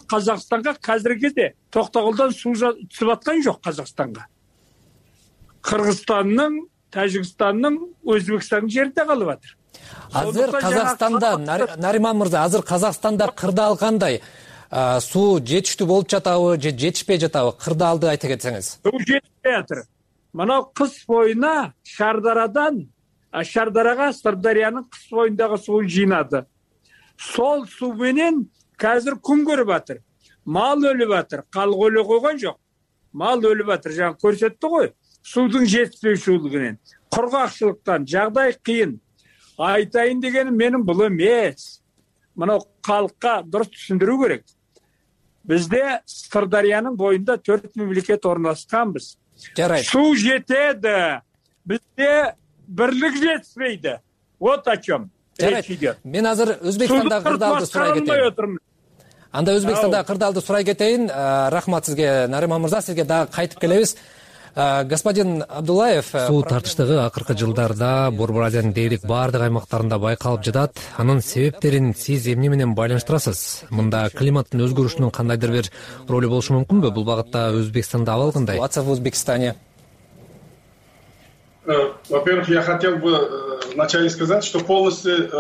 Қазақстанға қазіргі кезде Тоқтағұлдан су түсіп жатқан жоқ. Қазақстанға Қырғызстанның, Тәжікстанның, Өзбекстанның жерінде қалып жатыр. Азыр Казакстанда, Нариман мырза, азыр Казакстанда кырдаал кандай? Суу жетиштүү болуп жатабы, же жетишпей жатабы? Кырдаалды айта кетсеңиз. Суу жетпей жатыр. Мына кыш боюна Шардарага Сырдарыянын кыш боюндагы суун жыйнады. Сол суу менен қазір күн көрүп жатыр. Мал өлүп жатыр. Калк өлө койгон жок. Мал өлүп жатыр. Жаңа көрсөттү ғой. Суудун жетишпеушүлүгүнөн, кургакчылыктан жагдай кыйын. Айтайын дегеним менин бул эмес. Мына калкка дұрыс түшүндүрүү керек. Бизде Сырдарыянын боюнда 4 мемлекет орналашканбыз. Жарайт. Суу жетеди. Бизде бирлик жетпейди. Вот о чем речь идет. Мен азыр Өзбекстанда кырдаалды сурай кетейин. Анда Өзбекстанда кырдаалды сурай кетейин. Рахмат сизге, Нариман мырза, сизге дагы кайтып келебиз. Господин Абдуллаев, суу тартыштыгы акыркы жылдарда Борбор Азиянын дээрлик баардык аймактарында байкалып жатат. Анын себептерин сиз эмне менен байланыштырасыз? Мында климаттын өзгөрүшүнүн кандайдыр бир ролу болушу мүмкүнбү? Бул багытта Өзбекстанда абал кандай? В Узбекистане. Во-первых, я хотел бы вначале сказать, что полностью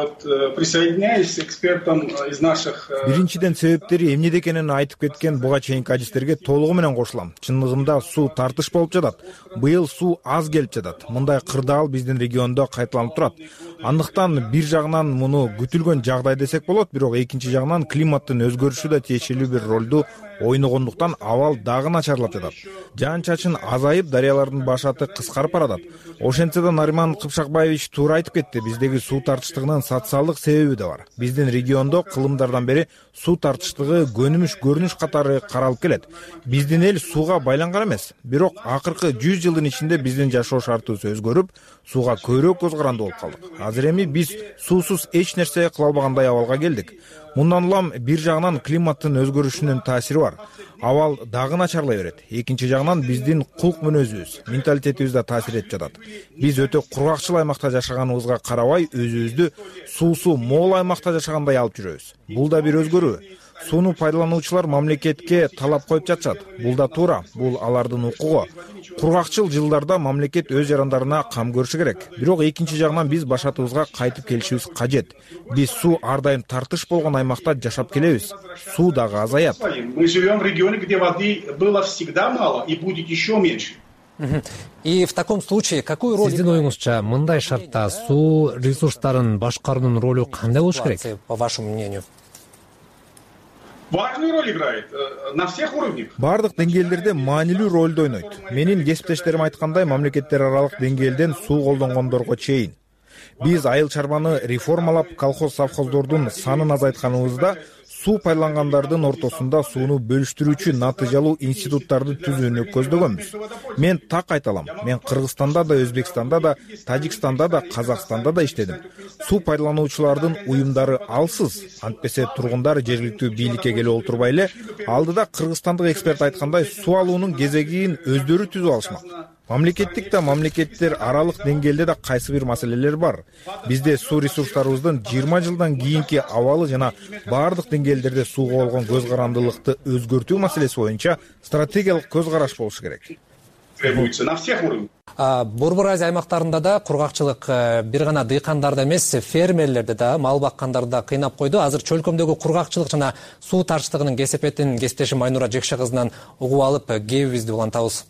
присоединяюсь к экспертам из наших... Биринчиден себептери эмнеде экенин айтып кеткен буга чейинки адистерге толугу менен кошулам. Чындыгында суу тартыш болуп жатат. Быйыл суу аз келип жатат. Мындай кырдаал биздин региондо кайталанып турат. Андыктан бир жагынан муну күтүлгөн жагдай десек болот, бирок экинчи жагынан климаттын өзгөрүшү да тиешелүү бир ролду ойногондуктан абал дагы начарлап жатат. Жаан-чачын азайып, дарыялардын башаты кыскарып баратат. Ошентсе да Нариман Кыпшакбаевич туура айтып кетти. Биздеги суу тартыштыгынын социалдык себеби да бар. Биздин региондо кылымдардан бери суу тартыштыгы көрүнүш катары каралып келет. Биздин эл сууга байланган эмес. Бирок акыркы 100 жылдын ичинде биздин жашоо шартыбыз өзгөрүп, сууга көбүрөөк көз каранды болуп калдык. Азыр эми биз суусуз эч нерсе кыла албагандай абалга келдик. Мындан улам бир жагынан климаттын өзгөрүшүнүн таасири бар. Абал дагы начарлай берет. Экинчи жагынан биздин кулк мүнөзүбүз, менталитетибиз да таасир этип жатат. Биз өтө кургакчыл аймакта жашаганыбызга карабай, өзүбүздү суусу мол аймакта жашагандай алып жүрөбүз. Бул да бир өзгөрүү. Сууну пайдалануучулар мамлекетке талап коюп жатышат. Бул да туура. Бул алардын укугу. Кургакчыл жылдарда мамлекет өз жарандарына кам көрүшү керек. Бирок экинчи жагынан биз башатыбызга кайтып келишибиз кажет. Биз суу ар дайым тартыш болгон аймакта жашап келебиз. Суу дагы азаят. Мы живем в регионе, где воды было всегда мало и будет еще меньше. И в таком случае какую роль... Сиздин оюңузча, мындай шартта суу ресурстарын башкаруунун ролу кандай болуш керек? По вашему мнению? Важную роль играет на всех уровнях. Бардык деңгээлдерде маанилүү ролду ойнойт. Менин кесиптештерим айткандай, мамлекеттер аралык деңгээлден суу колдонгондорго чейин. Биз айыл чарбаны реформалап, колхоз-совхоздордун санын азайтканыбызда суу пайдалангандардын ортосунда сууну бөлүштүрүүчү натыйжалуу институттарды түзүүнү көздөгөнбүз. Мен так айта алам. Мен Кыргызстанда да, Өзбекстанда да, Тажикстанда да, Казакстанда да иштедим. Суу пайдалануучулардын уюмдары алсыз. Антпесе тургундар жергиликтүү бийликке келип олтурбай эле, алдыда кыргызстандык эксперт айткандай суу алуунун кезегин өздөрү түзүп алышмак. Мамлекеттик да мамлекеттер аралык деңгээлде да кайсы бир маселелер бар. Бизде суу ресурстарыбыздын 20 жылдан кийинки абалы жана бардык деңгээлдерде сууга болгон көз карандылыкты өзгөртүү маселеси боюнча стратегиялык көз караш болушу керек. Требуется на всех уровнях. Борбор Азия аймактарында да кургакчылык бир гана дыйкандарды эмес, фермерлерди да, мал баккандарды да кыйнап койду. Азыр чөлкөмдөгү кургакчылык жана суу тартыштыгынын кесепетин кесиптешим Айнура Жекше кызынан угуп алып, кебибизди улантабыз.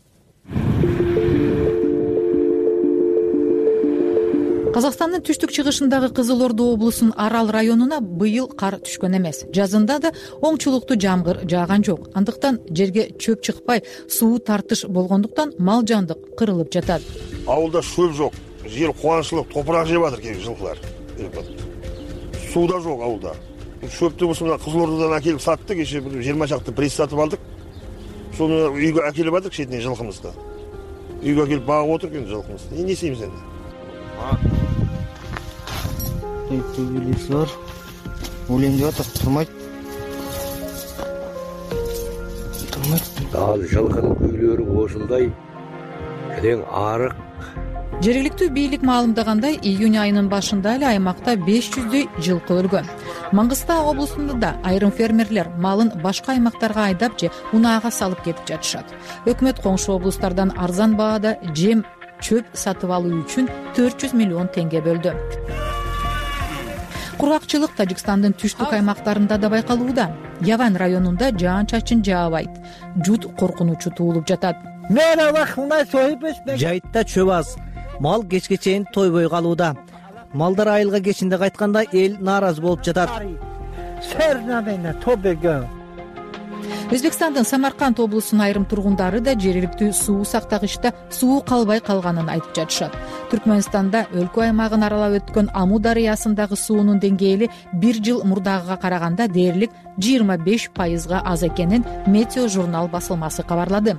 Казакстандын түштүк-чыгышындагы Кызыл Орду облусунун Арал районуна быйыл кар түшкөн эмес. Жазында да оңчулуктуу жамгыр жааган жок. Андыктан жерге чөп чыкпай, суу тартыш болгондуктан мал жандык кырылып жатат. Ауылда шөп жок, жер кубанычылык, топурак жеп атыр кээ жылкылар. Суу да жок ауылда. Шөптү мына Кызыл Ордадан әкеліп саттык, еще 20 чакты пресс сатып алдык. Соны үйгө әкеліп алдык шетинен жылкымызды. Үйгө әкеліп багып отуруп енді жылкымызды. Не істейміз енді? Төбелес бар. Өлең деп атат, турмайт. Ал жылкынын үйлөрү ошундай терең арык. Жергиликтүү бийлик маалымдагандай, июнь айынын башында эле аймакта 500дөй жылкы өлгөн. Маңгыстау облусунда да айрым фермерлер малын башка аймактарга айдап же унаага салып кетип жатышат. Өкмөт коңшу облустардан арзан баада жем, чөп сатып алуу үчүн 400 миллион теңге бөлдү. Кургакчылык Тажикстандын түштүк аймактарында да байкалууда. Яван районунда жаан-чачын жаабайт. Жут коркунучу туулуп жатат. Жайытта чөп аз. Мал кечке чейин тойбой калууда. Малдар айылга кечинде кайтканда эл нааразы болуп жатат. Өзбекстандын Самарканд облусунун айрым тургундары да жергиликтүү суу сактагычта суу калбай калганын айтып жатышат. Түркмөнстанда өлкө аймагын аралап өткөн Аму дарыясындагы суунун деңгээли 1 жыл мурдагыга караганда дээрлик 25% аз экенин Метео журнал басылмасы кабарлады.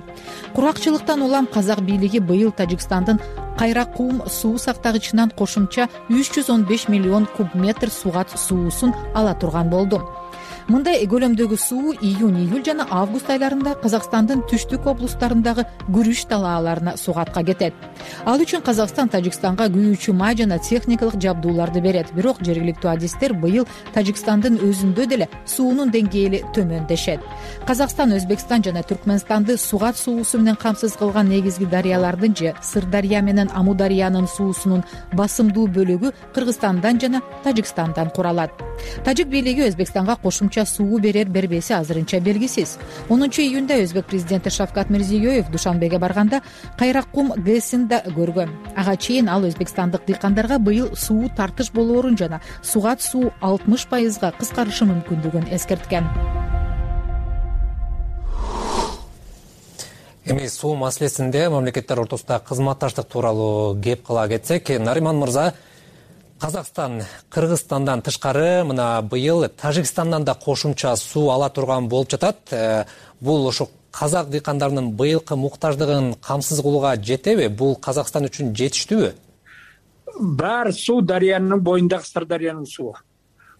Кургакчылыктан улам казак бийлиги быйыл Тажикстандын Кайракум суу сактагычынан кошумча 315 миллион куб метр сугат суусун ала турган болду. Мындай көлөмдөгү суу июнь-июль жана август айларында Казакстандын түштүк облустарындагы күрүч талааларына сугатка кетет. Ал үчүн Казакстан Тажикстанга күйүүчү май жана техникалык жабдууларды берет. Бирок жергиликтүү адистер быйыл Тажикстандын өзүндө деле суунун деңгээли төмөн дешет. Казакстан, Өзбекстан жана Түркмөнстанды сугат суусу менен камсыз кылган негизги дарыялардын же Сырдария менен Аму дарыянын суусунун басымдуу бөлүгү Кыргызстандан жана Тажикстандан куралат. Тажик бийлиги Өзбекстанга кошумча суу берер-бербеси азырынча белгисиз. 10 июнда Өзбек президенти Шавкат Мирзиёев Душанбеге барганда Кайракум ГЭСин да көргөн. Ага чейин ал өзбекстандык дыйкандарга быйыл суу тартыш болоорун жана сугат суу 60% кыскарышы мүмкүндүгүн эскерткен. Эми суу маселесинде мамлекеттер ортосунда кызматташтык тууралуу кеп кыла кетсек, Нариман мырза, Казакстан Кыргызстандан тышкары мына быйыл Тажикстандан да кошумча суу ала турган болуп жатат. Бул ошо казак дыйкандарынын быйылкы муктаждыгын камсыз кылууга жетеби? Бул Казакстан үчүн жетиштүүбү? Бар суу дарыянын боюндагы Сырдарыянын суу.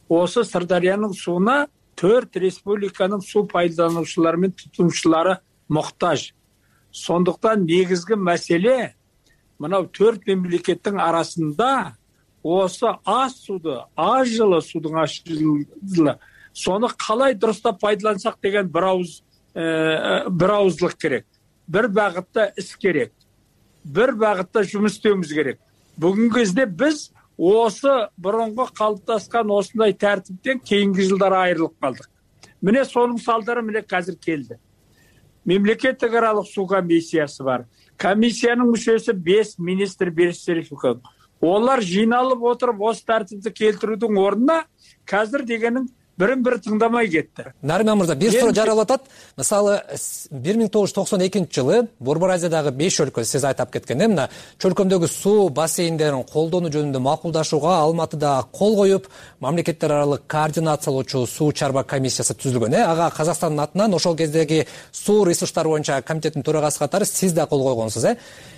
Осы Сырдарыянын сууна 4 республиканын суу пайдалануучулары менен тутумчулары муктаж. Сондуктан негизги маселе мына 4 мемлекеттин арасында осы аз суду, аз жылы судун ашылы, сону калай дурустап пайдалансак деген бир ауыздылык керек. Бир багытта иш керек. Бир багытта жумуш істөөбүз керек. Бүгүнкү кезде биз осы бурунку калыптаскан осундай тартиптен кийинки жылдары айрылып калдык. Міне сонун салдары міне қазір келди. Мемлекеттик аралык суу комиссиясы бар. Комиссиянын мүчөсү 5 министр бериштерип. Олар жиналып отуруп осы тартипти келтирүүдүн ордуна қазір дегенин бирин-бири тыңдамай кетти. Нариман мырза, бир суроо жаралып атат. Мисалы 1992 жылы Борбор Азиядагы 5 өлкө сиз айтып кеткен, мына чөлкөмдөгү суу бассейндерин колдонуу жөнүндө макулдашууга Алматыда кол коюп, мамлекеттер аралык координациялоочу суу чарба комиссиясы түзүлгөн. Ага Казакстандын атынан ошол кездеги суу ресурстары боюнча комитеттин төрагасы катары сиз да кол койгонсуз,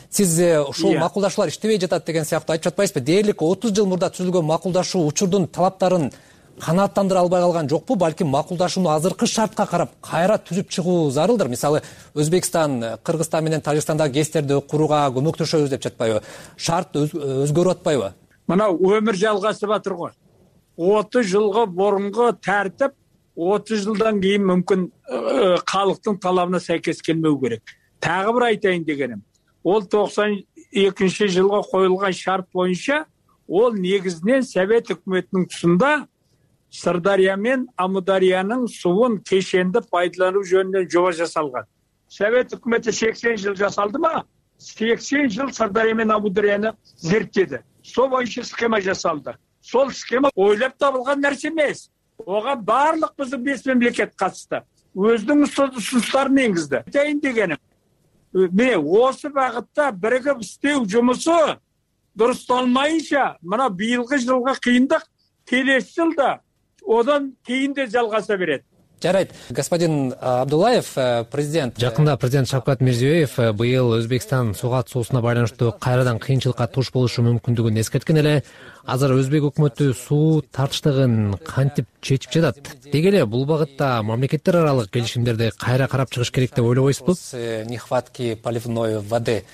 Сиз ушул макулдашуулар иштебей жатат деген сыяктуу айтып жатпайсызбы? Дээрлик 30 жыл мурда түзүлгөн макулдашуу учурдун талаптарын канааттандыра албай калган жокпу? Балким макулдашууну азыркы шартка карап кайра түзүп чыгуу зарылдыр. Мисалы, Өзбекстан, Кыргызстан менен Тажикстандагы ГЭСтерди курууга көмөктөшөбүз деп жатпайбы? Шарт өзгөрүп атпайбы? Мына өмүр жалгашып атыр го. 30 жылга борунку тартип 30 жылдан кийин мүмкүн калктын талабына сайкес келмеу керек. Тагы бир айтайын дегеним. Ол 92 жылга коюлган шарт боюнча ол негизинен Совет өкмөтүнүн тұсында Сырдария мен Амудариянын суун кешенди пайдалануу жөнүндө жоба жасалган. Совет өкмөтү 80 жыл жасалды ма? 80 жыл Сырдария мен Амударияны зерттеди. Сол боюнча схема жасалды. Сол схема ойлоп табылган нерсе эмес. Ога барлык биздин 5 мемлекет катышты. Өзүнүн ұсыныстарын энгизди. Айтайын дегеним, міне осы багытта биригип иштөө жумусу дурусталмайынча мына быйылкы жылга кыйындык, келесі жылда одан кийин да жалгаса берет. Жарайт. Господин Абдуллаев, президент жакында президент Шавкат Мирзиёев быйыл Өзбекстан суга атуусуна байланыштуу кайрадан кыйынчылыкка туш болушу мүмкүндүгүн эскерткен эле. Азыр Өзбек өкмөтү суу тартыштыгын кантип чечип жатат? Деги эле бул багытта мамлекеттер аралык келишимдерди кайра карап чыгыш керек деп ойлобойсузбу? Нехватки поливной воды.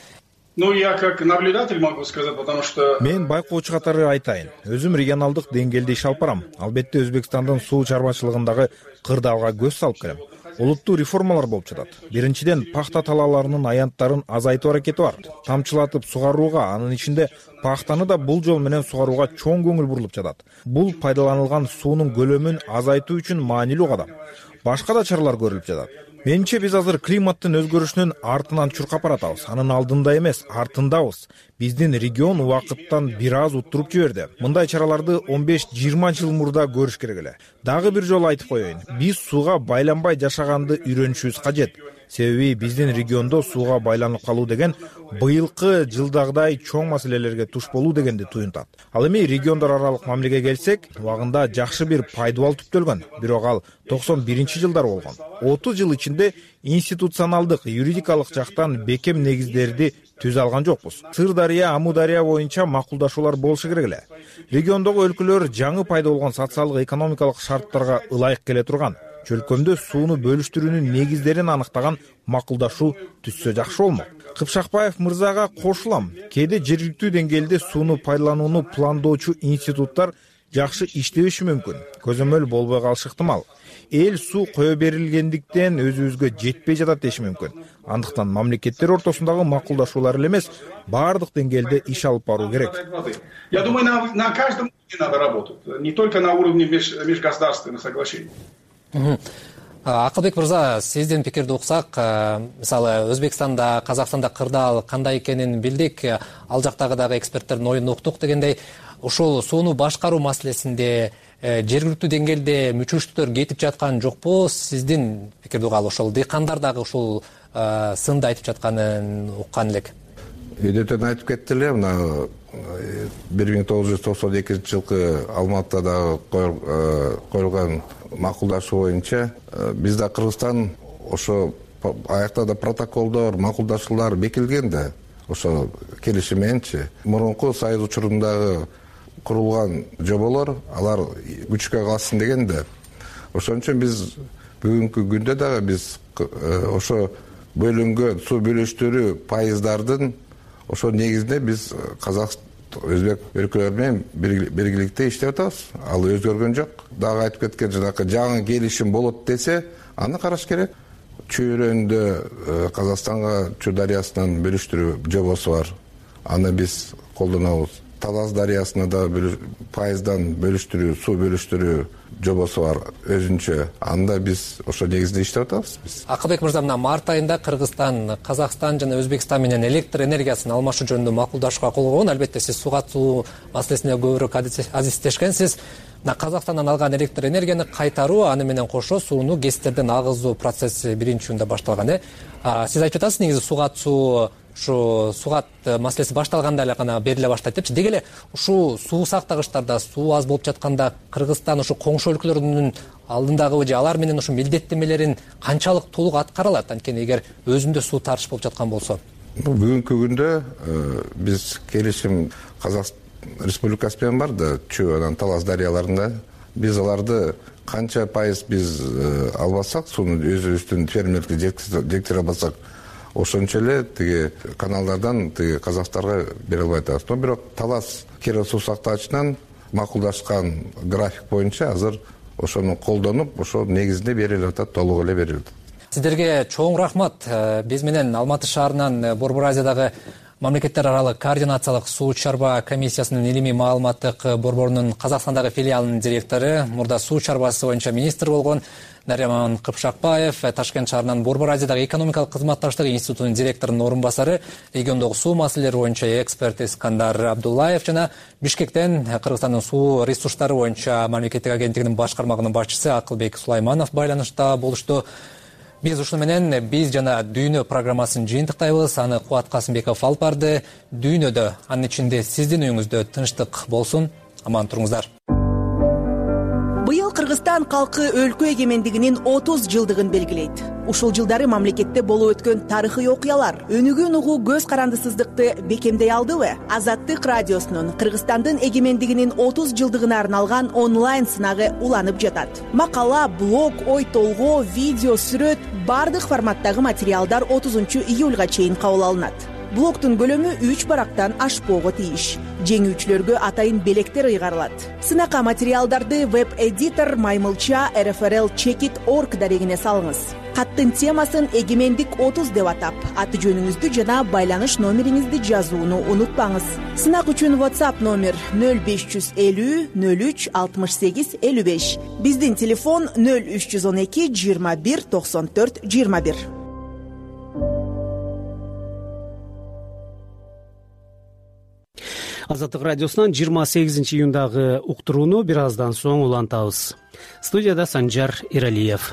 Я как наблюдатель могу сказать, потому что... Мен байкоочу катары айтайын. Өзүм регионалдык деңгээлде иш алып барам. Албетте Өзбекстандын суу чарбачылыгындагы кырдаалга көз салып келем. Олуттуу реформалар болуп жатат. Биринчиден, пахта талааларынын аянттарын азайтуу аракети бар. Тамчылатып сугарууга, анын ичинде пахтаны да бул жол менен сугарууга чоң көңүл бурулуп жатат. Бул пайдаланылган суунун көлөмүн азайтуу үчүн маанилүү кадам. Башка да чаралар көрүлүп жатат. Менимче биз азыр климаттын өзгөрүшүнүн артынан чуркап баратабыз. Анын алдында эмес, артындабыз. Биздин регион убакыттан бир аз уттуруп жиберди. Мындай чараларды 15-20 жыл мурда көрүш керек эле. Дагы бир жолу айтып коеюн. Биз сууга байланбай жашаганды үйрөнүшүбүз кажет. Себеби биздин региондо сууга байланып калуу деген быйылкы жылдагыдай чоң маселелерге туш болуу дегенди туюнтат. Ал эми региондор аралык мамилеге келсек, убагында жакшы бир пайдубал түптөлгөн. Бирок ал 91-жылдар болгон. 30 жыл ичинде институционалдык, юридикалык жактан бекем негиздерди түзө алган жокпуз. Сырдария, Амудария боюнча макулдашуулар болушу керек эле. Региондогу өлкөлөр жаңы пайда болгон социалдык, экономикалык шарттарга ылайык келе турган. Чөлкөмдө сууну бөлүштүрүүнүн негиздерин аныктаган макулдашуу түзсө жакшы болмок. Кыпшакбаев мырзага кошулам. Кээде жергиликтүү деңгээлде сууну пайдаланууну пландоочу институттар жакшы иштебеши мүмкүн. Көзөмөл болбой калышы ыктымал. Эл суу кое берилгендиктен өзүбүзгө жетпей жатат деши мүмкүн. Андыктан мамлекеттер ортосундагы макулдашуулар эле эмес, баардык деңгээлде иш алып баруу керек. Я думаю, на каждом уровне надо работать, не только на уровне межгосударственных соглашений. Акылбек мырза, сиздин пикирди уксак, мисалы Өзбекстанда, Казакстанда кырдаал кандай экенин билдик, ал жактагы дагы эксперттердин оюн уктук дегендей, ушул сууну башкаруу маселесинде жергиликтүү деңгээлде мүчөчтүктөр кетип жаткан жокпу? Сиздин пикирди угалы, ошол дыйкандар дагы ушул сынды айтып жатканын уккан элек. Өйдөтөн айтып кетти эле, мына 1992-жылкы Алматыда коюлган макулдашуу боюнча бизде Кыргызстан ошо аякта да протоколдор, макулдашуулар бекилген да, ошо келишим мененчи. Мурунку Союз учурундагы курулган жоболор, алар күчкө калсын деген да. Ошон үчүн биз бүгүнкү күндө дагы биз ошо бөлүнгөн суу бөлүштүрүү пайыздардын ошо негизинде биз Өзбек өлкөлөр менен биргеликте иштеп атабыз. Ал өзгөргөн жок. Дагы айтып кеткен жанакы жаңы келишим болот десе, аны караш керек. Чөйрөндө Казакстанга Чүй дарыясынан бөлүштүрүү жобосу бар. Аны биз колдонобуз. Талас дарыясына да пайыздан бөлүштүрүү, суу бөлүштүрүү жобосу бар өзүнчө. Анда биз ошо негизинде иштеп атабыз биз. Акылбек мырза, мына март айында Кыргызстан, Казакстан жана Өзбекстан менен электр энергиясын алмашуу жөнүндө макулдашууга кол койгон. Албетте сиз сууга атуу маселесине көбүрөөк азиздешкенсиз. Мына Казакстандан алган электр энергияны кайтаруу, аны менен кошо сууну ГЭСтерден агызуу процесси биринчи июнда башталган. Сиз айтып жатасыз, негизи сууга атуу ушу суугат маселеси башталганда эле гана бериле баштайт депчи. Деги эле ушул суу сактагычтарда суу аз болуп жатканда Кыргызстан ушу коңшу өлкөлөрдүн алдындагы же алар менен ушу милдеттенмелерин канчалык толук аткара алат, анткени эгер өзүндө суу тартыш болуп жаткан болсо? Бүгүнкү күндө биз келишим Казакстан Республикасы менен бар да, Чүй анан Талас дарыяларында. Биз аларды канча пайыз биз албасак, сууну өзүбүздүн фермерлерге жеткире албасак, ошончо эле тиги каналдардан тиги Казакстанга бере албай атабыз. Но бирок Талас Кира суу сактагычынан макулдашкан график боюнча азыр ошону колдонуп, ошо негизинде берилип атат, толук эле берилди. Сиздерге чоң рахмат. Биз менен Алматы шаарынан Борбор Азиядагы мамлекеттер аралык координациялык суу чарба комиссиясынын илимий маалыматтык борборунун Казакстандагы филиалынын директору, мурда суу чарбасы боюнча министр болгон Нариман Кыпшакбаев, Ташкент шаарынан Борбор Азиядагы экономикалык кызматташтык институтунун директорунун орун басары, региондогу суу маселелери боюнча эксперт Искандар Абдуллаев жана Бишкектен Кыргызстандын суу ресурстары боюнча мамлекеттик агенттигинин башкармагынын башчысы Акылбек Сулайманов байланышта болушту. Биз ушуну менен биз жана Дүйнө программасын жыйынтыктайбыз. Аны Кубат Касымбеков алып барды. Дүйнөдө, анын ичинде сиздин үйүңүздө тынчтык болсун. Аман туруңуздар. Быйыл Кыргызстан калкы өлкө эгемендигинин 30 жылдыгын белгилейт. Ушул жылдары мамлекетте болуп өткөн тарыхый окуялар өнүгүүн угуу көз карандысыздыкты бекемдей алдыбы? Азаттык радиосунун Кыргызстандын эгемендигинин 30 жылдыгына арналган онлайн сынагы уланып жатат. Макала, блог, ой толгоо, видео, сүрөт бардык форматтагы материалдар 30-июлга чейин кабыл алынат. Блогтун көлөмү 3 барактан ашпоого тийиш. Жеңүүчүлөргө атайын белектер ыйгарылат. Сынакка материалдарды веб-эдитор Маймылча rfrl-checkit.org дарегине салыңыз. Каттын темасын эгемендик 30 деп атап, аты жөнүңүздү жана байланыш номериңизди жазууну унутпаңыз. Сынак үчүн WhatsApp номер 0550 03 68 55. Биздин телефон 0312 21 94 21. Азаттык радиосунан 28-июндагы уктурууну бир аздан соң улантабыз. Студияда Санжар Иралиев.